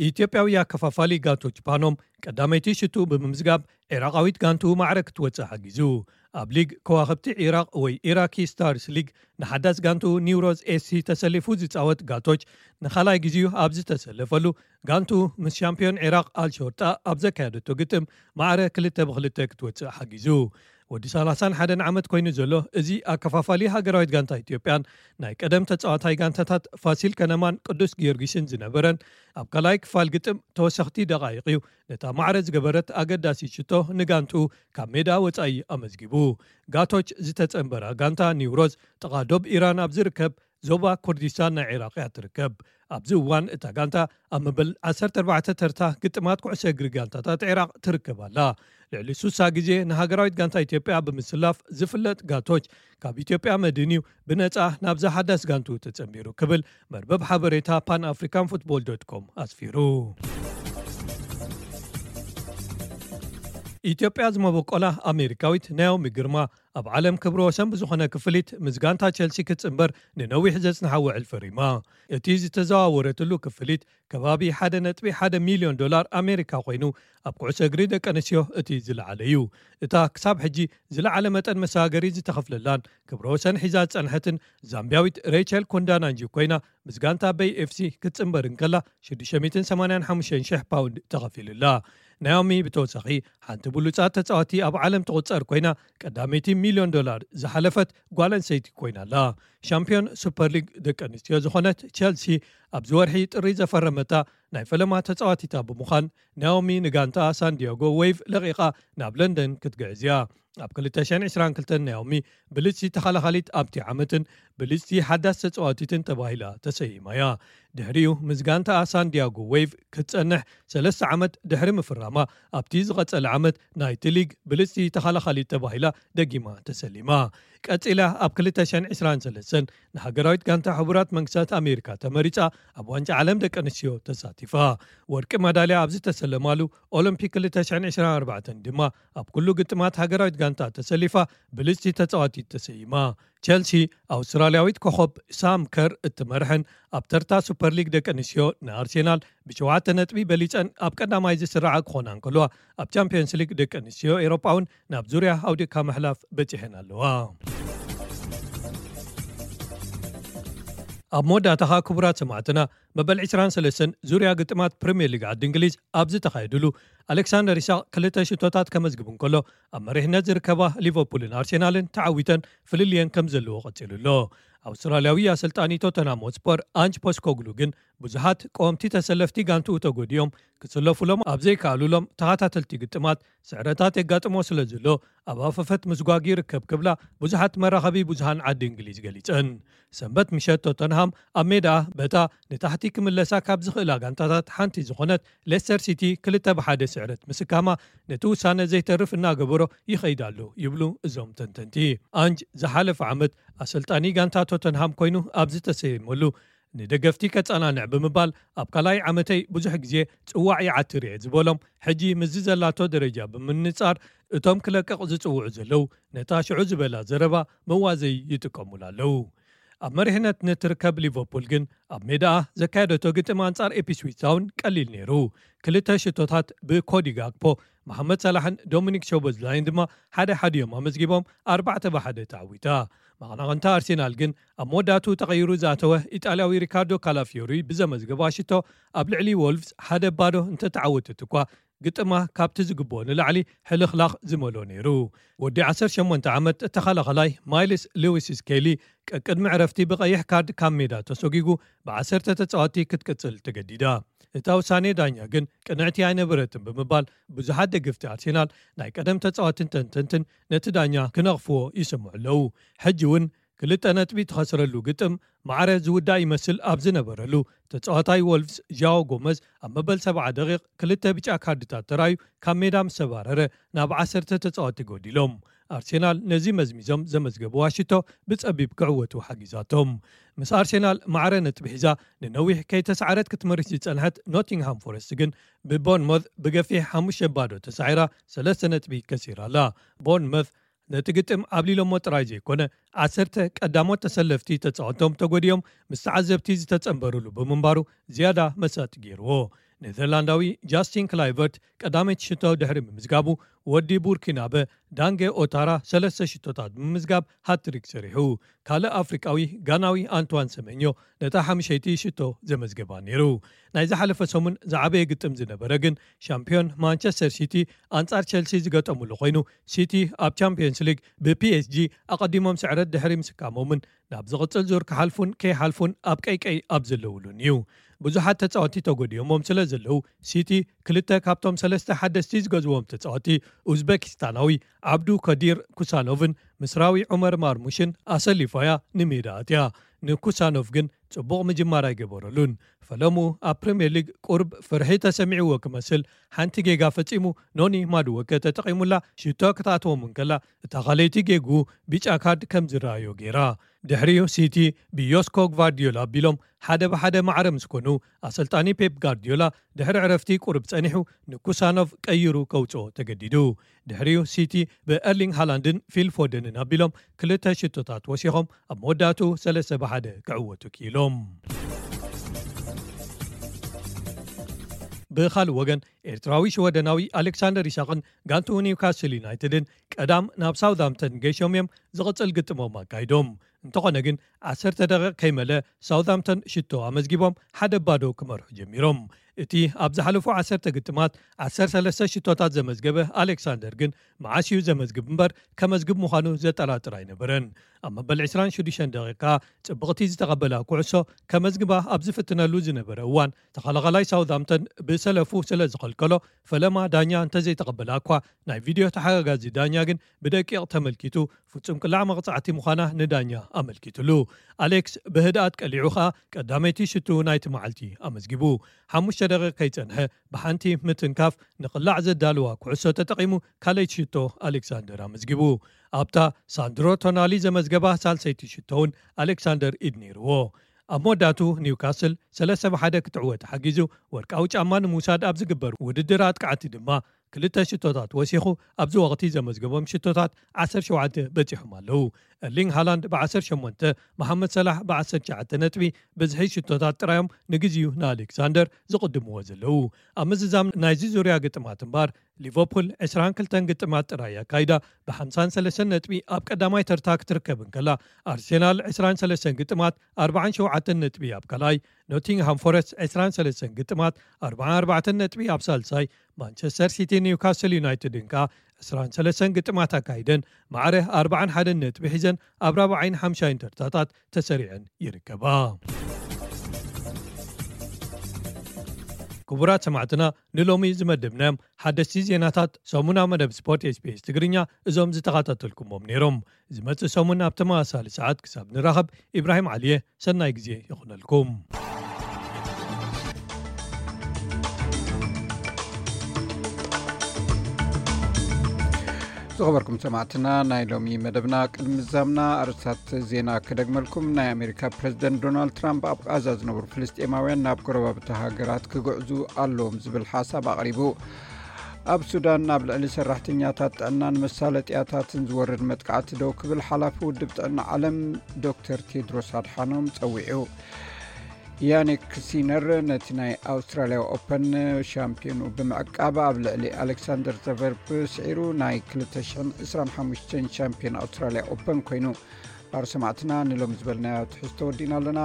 ኢትዮጵያዊ ኣከፋፋሊ ጋቶ ጅፓኖም ቀዳመይቲ ሽቱ ብምምዝጋብ፣ ዒራቓዊት ጋንቱ ማዕረ ክትወጽእ ሓጊዙ። ኣብ ሊግ ከዋኽብቲ ዒራቕ ወይ ኢራኪ ስታርስ ሊግ ንሓዳስ ጋንቱ ኒውሮዝ ኤስ ሲ ተሰሊፉ ዝጻወት ጋቶች፣ ንኻልኣይ ግዜኡ ኣብ ዝተሰለፈሉ፣ ጋንቱ ምስ ሻምፒዮን ዒራቕ ኣልሾርጣ ኣብ ዘካየደቶ ግጥም ማዕረ ክልተ ብክልተ ክትወጽእ ሓጊዙ። ወዲ ሰላሳን ሓደን ዓመት ኮይኑ ዘሎ እዚ ኣከፋፋሊ ሃገራዊት ጋንታ ኢትዮጵያን ናይ ቀደም ተጻዋታይ ጋንታታት ፋሲል ከነማን ቅዱስ ጊዮርጊስን ዝነበረን፣ ኣብ ካልኣይ ክፋል ግጥም ተወሰኽቲ ደቓይቕ እዩ ነታ ማዕረ ዝገበረት ኣገዳሲ ሽቶ ንጋንቱ ካብ ሜዳ ወጻኢ ኣመዝጊቡ። ጋቶች ዝተጸንበራ ጋንታ ኒውሮዝ ጥቓ ዶብ ኢራን ኣብ ዝርከብ ዞባ ኩርዲስታን ናይ ዒራቕ እያ ትርከብ። ኣብዚ እዋን እታ ጋንታ ኣብ መበል ዓሰርተ ኣርባዕተ ተርታ ግጥማት ኩዕሶ እግሪ ጋንታታት ዒራቕ ትርከብ ኣላ። ልዕሊ ሱሳ ግዜ ንሃገራዊት ጋንታ ኢትዮጵያ ብምስላፍ ዝፍለጥ ጋቶች፣ ካብ ኢትዮጵያ መድን እዩ ብነጻ ናብዛ ሓዳስ ጋንቱ ተጸንቢሩ ክብል መርበብ ሓበሬታ ፓን ኣፍሪካን ፉትቦል ዶት ኮም ኣስፊሩ። ኢትዮጵያ ዝመበቆላ ኣሜሪካዊት ናኦሚ ግርማ ኣብ ዓለም ክብረ ወሰን ብዝኾነ ክፍሊት ምስ ጋንታ ቸልሲ ክትጽንበር ንነዊሕ ዘጽንሓ ውዕል ፈሪማ። እቲ ዝተዘዋወረትሉ ክፍሊት ከባቢ ሓደ ነጥቢ ሓደ ሚልዮን ዶላር ኣሜሪካ ኮይኑ፣ ኣብ ኩዕሶ እግሪ ደቂ ኣንስትዮ እቲ ዝለዓለ እዩ። እታ ክሳብ ሕጂ ዝለዓለ መጠን መሰጋገሪ ዝተኸፍለላን ክብረ ወሰን ሒዛ ዝጸንሐትን ዛምቢያዊት ሬቸል ኮንዳናንጂ ኮይና፣ ምስ ጋንታ በይ ኤፍሲ ክትጽንበር እንከላ ሽዱሽተ ሚእትን ሰማንያን ሓሙሽተን ሽሕ ፓውንድ ተኸፊሉላ። ናኦሚ ብተወሳኺ ሓንቲ ብሉጻት ተጻዋቲ ኣብ ዓለም ትቑጸር ኮይና፣ ቀዳመይቲ ሚልዮን ዶላር ዝሓለፈት ጓል ኣንስተይቲ ኮይና ኣላ። ሻምፒዮን ሱፐር ሊግ ደቂ ኣንስትዮ ዝኾነት ቸልሲ ኣብዚ ወርሒ ጥሪ ዘፈረመታ ናይ ፈለማ ተጻዋቲታ ብምዃን፣ ናኦሚ ንጋንታ ሳንዲያጎ ዌቭ ለቒቓ ናብ ለንደን ክትግዕዝ እያ። ኣብ ክልተ ሽሕን ዕስራን ክልተን ናኦሚ ብልጽቲ ተኸላኻሊት ኣብቲ ዓመትን ብልጽቲ ሓዳስ ተጻዋቲትን ተባሂላ ተሰይማ እያ። ድሕሪኡ ምስ ጋንታ ሳንዲያጎ ዌቭ ክትጸንሕ ሰለስተ ዓመት ድሕሪ ምፍራማ፣ ኣብቲ ዝቐጸለ ዓመት ናይቲ ሊግ ብልጽቲ ተኸላኻሊት ተባሂላ ደጊማ ተሰሊማ። ቀጺላ ኣብ ክልተ ሽሕን ዕስራን ሰለስተን ንሃገራዊት ጋንታ ሕቡራት መንግስታት ኣሜሪካ ተመሪጻ ኣብ ዋንጫ ዓለም ደቂ ኣንስትዮ ተሳቲፋ። ወርቂ መዳልያ ኣብ ዝተሰለማሉ ኦሎምፒክ ክልተ ሽሕን ዕስራን ኣርባዕተን ድማ ኣብ ኩሉ ግጥማት ሃገራዊት ጋንታ ተሰሊፋ ብልጽቲ ተጻዋቲት ተሰይማ። ቸልሲ ኣውስትራልያዊት ኮኸብ ሳም ከር እትመርሐን ኣብ ተርታ ሱፐር ሊግ ደቂ ኣንስትዮ ንኣርሴናል ብሸውዓተ ነጥቢ በሊጸን ኣብ ቀዳማይ ዝስራዓ ክኾና እንከልዋ፣ ኣብ ቻምፒየንስ ሊግ ደቂ ኣንስትዮ ኤሮጳ እውን ናብ ዙርያ ኣውዲቕካ ምሕላፍ በጺሐን ኣለዋ። ኣብ መወዳእታኻ ክቡራት ሰማዕትና፣ መበል ዕስራን ሰለስተን ዙርያ ግጥማት ፕሪምየር ሊግ ዓዲ እንግሊዝ ኣብ ዝተኻየድሉ፣ ኣሌክሳንደር ኢሳቕ ክልተ ሽቶታት ከመዝግብ እንከሎ፣ ኣብ መሪሕነት ዝርከባ ሊቨርፑልን ኣርሴናልን ተዓዊተን ፍልልየን ከም ዘለዎ ቀጺሉ ኣሎ። ኣውስትራልያዊ ኣሰልጣኒ ቶተንሃም ሆትስፐር ኣንጅ ፖስኮግሉ ግን ብዙሓት ቀወምቲ ተሰለፍቲ ጋንትኡ ተጎዲኦም ክስለፉሎም ኣብ ዘይከኣሉሎም ተኸታተልቲ ግጥማት ስዕረታት የጋጥሞ ስለ ዘሎ ኣብ ኣፈፈት ምስጓግ ይርከብ ክብላ ብዙሓት መራኸቢ ብዙሃን ዓዲ እንግሊዝ ገሊጸን። ሰንበት ምሸት ቶተንሃም ኣብ ሜዳ በታ ንታሕቲ ክምለሳ ካብ ዝኽእላ ጋንታታት ሓንቲ ዝኾነት ሌስተር ሲቲ ክልተ ብሓደ ስዕረት ምስካማ ነቲ ውሳነ ዘይተርፍ እናገበሮ ይኸይድ ኣሎ ይብሉ እዞም ተንተንቲ። ኣንጅ ዝሓለፈ ዓመት ኣሰልጣኒ ጋንታ ቶተንሃም ኮይኑ ኣብ ዝተሰየመሉ ንደገፍቲ ከጸናንዕ ብምባል ኣብ ካልኣይ ዓመተይ ብዙሕ ግዜ ጽዋዕ ይዓትር እየ ዝበሎም፣ ሕጂ ምስዚ ዘላቶ ደረጃ ብምንጻር እቶም ክለቅቕ ዝጽውዑ ዘለዉ ነታ ሽዑ ዝበላ ዘረባ መዋዘይ ይጥቀሙላ ኣለዉ። ኣብ መሪሕነት ንትርከብ ሊቨርፑል ግን ኣብ ሜዳኣ ዘካየደቶ ግጥም ኣንጻር ኢፕስዊች ታውን ቀሊል ነይሩ። ክልተ ሽቶታት ብኮዲ ጋክፖ፣ መሓመድ ሳላሕን ዶሚኒክ ሾቦዝላይን ድማ ሓደ ሓዲኦም ኣመዝጊቦም ኣርባዕተ ብሓደ ተዓዊታ። መቐናቕንታ ኣርሴናል ግን ኣብ መወዳእትኡ ተቐይሩ ዝኣተወ ኢጣልያዊ ሪካርዶ ካላፊዮሪ ብዘመዝገባ ሽቶ ኣብ ልዕሊ ወልቭስ ሓደ ባዶ እንተተዓወተት እኳ፣ ግጥማ ካብቲ ዝግብኦ ንላዕሊ ሕልኽላኽ ዝመልኦ ነይሩ። ወዲ ዓሰርተ ሸሞንተ ዓመት ተኸላኸላይ ማይልስ ሉዊስ ስኬሊ ቀቅድሚ ዕረፍቲ ብቐይሕ ካርድ ካብ ሜዳ ተሰጒጉ ብዓሰርተ ተጻወቲ ክትቅጽል ተገዲዳ። እታ ውሳኔ ዳኛ ግን ቅንዕቲ ኣይነበረትን ብምባል ብዙሓት ደገፍቲ ኣርሴናል ናይ ቀደም ተጻወትን ተንተንትን ነቲ ዳኛ ክነቕፍዎ ይሰምዑ ኣለዉ። ሕጂ እውን ክልተ ነጥቢ ተኸስረሉ ግጥም ማዕረ ዝውዳእ ይመስል ኣብ ዝነበረሉ፣ ተጻዋታይ ወልፍስ ዣኦ ጎመዝ ኣብ መበል ሰብዓ ደቂቕ ክልተ ብጫ ካርድታት ተራዩ ካብ ሜዳ ምስ ተባረረ ናብ ዓሰርተ ተጻወቲ ጎዲሎም። ኣርሴናል ነዚ መዝሚዞም ዘመዝገብዋ ሽቶ ብጸቢብ ክዕወቱ ሓጊዛቶም። ምስ ኣርሴናል ማዕረ ነጥቢ ሒዛ ንነዊሕ ከይተሳዕረት ክትመርሽ ዝጸንሐት ኖቲንግሃም ፎረስት ግን ብቦርንሞዝ ብገፊሕ ሓሙሽተ ባዶ ተሳዒራ ሰለስተ ነጥቢ ከሲራ ኣላ። ቦርንሞዝ ነቲ ግጥም ኣብሊሎሞ ጥራይ ዘይኮነ፣ ዓሰርተ ቀዳሞት ተሰለፍቲ ተጻወቶም ተጎዲኦም ምስ ተዓዘብቲ ዝተጸንበሩሉ ብምንባሩ ዝያዳ መሳጢ ገይርዎ። ኔዘርላንዳዊ ጃስቲን ክላይቨርት ቀዳመይቲ ሽቶ ድሕሪ ምምዝጋቡ፣ ወዲ ቡርኪናበ ዳንጌ ኦታራ ሰለስተ ሽቶታት ብምምዝጋብ ሃትሪክ ሰሪሑ። ካልእ ኣፍሪቃዊ ጋናዊ ኣንቷን ሰመኞ ነታ ሓሙሸይቲ ሽቶ ዘመዝገባ ነይሩ። ናይ ዝሓለፈ ሰሙን ዝዓበየ ግጥም ዝነበረ ግን ሻምፒዮን ማንቸስተር ሲቲ ኣንጻር ቸልሲ ዝገጠሙሉ ኮይኑ፣ ሲቲ ኣብ ቻምፒየንስ ሊግ ብፒኤስጂ ኣቐዲሞም ስዕረት ድሕሪ ምስካሞምን ናብ ዝቕጽል ዙር ክሓልፉን ከይሓልፉን ኣብ ቀይቀይ ኣብ ዘለውሉን እዩ። ብዙሓት ተጻወቲ ተጎዲኦሞም ስለ ዘለዉ፣ ሲቲ ክልተ ካብቶም ሰለስተ ሓደስቲ ዝገዝዎም ተጻወቲ ኡዝበኪስታናዊ ዓብዱ ከዲር ኩሳኖቭን ምስራዊ ዑመር ማርሙሽን ኣሰሊፋያ ንሜዳ ኣትያ። ንኩሳኖቭ ግን ጽቡቕ ምጅማር ኣይገበረሉን። ፈለሙ ኣብ ፕሪምየር ሊግ ቁርብ ፍርሒ ተሰሚዕዎ ክመስል ሓንቲ ጌጋ ፈጺሙ ኖኒ ማድወከ ተጠቒሙላ ሽቶ ክትኣትዎም እንከላ፣ እታ ካልኣይቲ ጌግኡ ብጫ ካርድ ከም ዝረኣዮ ገይራ። ድሕሪኡ ሲቲ ብዮስኮ ጓርዲዮላ ኣቢሎም ሓደ ብሓደ ማዕረ ምስ ኮኑ፣ ኣሰልጣኒ ፔፕ ጋርዲዮላ ድሕሪ ዕረፍቲ ቁሩብ ጸኒሑ ንኩሳኖቭ ቀይሩ ከውጽኦ ተገዲዱ። ድሕሪኡ ሲቲ ብኤርሊንግ ሃላንድን ፊል ፎደንን ኣቢሎም ክልተ ሽቶታት ወሲኾም ኣብ መወዳእቱ ሰለስተ ብሓደ ክዕወቱ ክኢሎም። ብኻልእ ወገን ኤርትራዊ ሽወደናዊ ኣሌክሳንደር ኢሳቕን ጋንቱ ኒውካስል ዩናይትድን ቀዳም ናብ ሳውዝሃምፕተን ገይሾም እዮም ዝቕጽል ግጥሞም ኣካይዶም። እንተኾነ ግን ዓሰርተ ደቂቕ ከይመለ ሳውዝሃምፕተን ሽቶ ኣመዝጊቦም ሓደ ባዶ ክመርሑ ጀሚሮም። እቲ ኣብ ዝሓለፉ ዓሰርተ ግጥማት ዓሰርተ ሰለስተ ሽቶታት ዘመዝገበ ኣሌክሳንደር ግን መዓስ እዩ ዘመዝግብ እምበር ከመዝግብ ምዃኑ ዘጠራጥር ኣይነበረን። ኣብ መበል ዕስራን ሽዱሽተን ደቂቃ ጽብቕቲ ዝተቐበላ ኩዕሶ ከመዝግባ ኣብ ዝፍትነሉ ዝነበረ እዋን ተኸላኸላይ ሳውዝሃምፕተን ብሰለፉ ስለ ዝኸልከሎ ፈለማ ዳኛ እንተዘይተቐበላ እኳ ናይ ቪድዮ ተሓጋጋዚ ዳኛ ግን ብደቂቕ ተመልኪቱ ፍጹም ቅላዕ መቕጻዕቲ ምዃና ንዳኛ ኣመልኪትሉ። ኣሌክስ ብህድኣት ቀሊዑ ኸኣ ቀዳመይቲ ሽቱ ናይቲ መዓልቲ ኣመዝጊቡ። ሓሙሽተ ደቂቕ ከይጸንሐ ብሓንቲ ምትንካፍ ንቕላዕ ዘዳልዋ ኩዕሶ ተጠቒሙ ካልኣይቲ ሽቶ ኣሌክሳንደር ኣመዝጊቡ። ኣብታ ሳንድሮ ቶናሊ ዘመዝገባ ሳልሰይቲ ሽቶ እውን ኣሌክሳንደር ኢድ ነይርዎ። ኣብ መወዳእቱ ኒውካስል ሰለስተ ብሓደ ክትዕወት ሓጊዙ ወርቃዊ ጫማ ንምውሳድ ኣብ ዝግበር ውድድር ኣጥቃዕቲ ድማ ክልተ ሽቶታት ወሲኹ ኣብዚ ወቕቲ ዘመዝገቦም ሽቶታት ዓሰርተ ሸውዓተ በጺሖም ኣለዉ። ኤርሊንግ ሃላንድ ብዓሰርተ ሸሞንተ፣ መሓመድ ሰላሕ ብዓሰርተ ትሽዓተ ነጥቢ ብዝሒ ሽቶታት ጥራዮም ንግዚኡ ንኣሌክሳንደር ዝቕድምዎ ዘለዉ። ኣብ ምዝዛም ናይዚ ዙርያ ግጥማት እምባር ሊቨርፑል ዕስራን ክልተን ግጥማት ጥራይ ኣካይዳ ብሓምሳን ሰለስተን ነጥቢ ኣብ ቀዳማይ ተርታ ክትርከብ እንከላ ኣርሴናል ዕስራን ሰለስተን ግጥማት ኣርባዓን ሸውዓተን ነጥቢ ኣብ ካልኣይ፣ ኖቲንግሃም ፎረስት ዕስራን ሰለስተን ግጥማት ኣርባዓን ኣርባዕተን ነጥቢ ኣብ ሳልሳይ፣ ማንቸስተር ሲቲ ኒውካስል ዩናይትድን ከኣ ዕስራን ሰለስተን ግጥማት ኣካይደን ማዕረ ኣርባዓን ሓደን ነጥቢ ሒዘን ኣብ ራብዓይን ሓምሻይን ተርታታት ተሰሪዐን ይርከባ። ክቡራት ሰማዕትና ንሎሚ ዝመደብናዮም ሓደስቲ ዜናታት ሰሙና መደብ ስፖርት ኤስቢኤስ ትግርኛ እዞም ዝተኸታተልኩሞም ነይሮም። ዝመጽእ ሰሙን ኣብ ተመሳሳሊ ሰዓት ክሳብ ንራኸብ ኢብራሂም ዓሊየ ሰናይ ግዜ ይኹነልኩም። ዝኸበርኩም ሰማዕትና ናይ ሎሚ መደብና ቅድሚ ምዛምና ኣርእስታት ዜና ክደግመልኩም። ናይ ኣሜሪካ ፕሬዝደንት ዶናልድ ትራምፕ ኣብ ቃዛ ዝነብሩ ፍልስጤማውያን ናብ ጎረባብቲ ሃገራት ክግዕዙ ኣለዎም ዝብል ሓሳብ ኣቕሪቡ። ኣብ ሱዳን ኣብ ልዕሊ ሰራሕተኛታት ጥዕናን መሳለጥያታትን ዝወርድ መጥቃዕቲ ደው ክብል ሓላፊ ውድብ ጥዕና ዓለም ዶክተር ቴድሮስ ኣድሓኖም ጸዊዑ። ያኒክ ሲነር ነቲ ናይ ኣውስትራልያ ኦፐን ሻምፒዮኑ ብምዕቃብ ኣብ ልዕሊ ኣሌክሳንደር ዘቨርፕ ስዒሩ ናይ ክልተ ሽሕን ዕስራን ሓሙሽተን ሻምፒዮን ኣውስትራልያ ኦፐን ኮይኑ። ባር ሰማዕትና ንሎም ዝበልናዮ ትሕዝቶ ወዲእና ኣለና።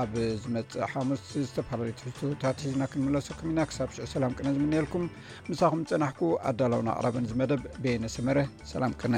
ኣብ ዝመጽእ ሓሙስ ዝተፈላለዩ ትሕዝቶታት ሒዝና ክንምለሰኩም ኢና። ክሳብ ሽዑ ሰላም ቅነ ዝምንየልኩም። ምሳኹም ጸናሕኩ ኣዳላውን ኣቕራብን ዝመደብ በየነ ሰመረ። ሰላም ቅነ።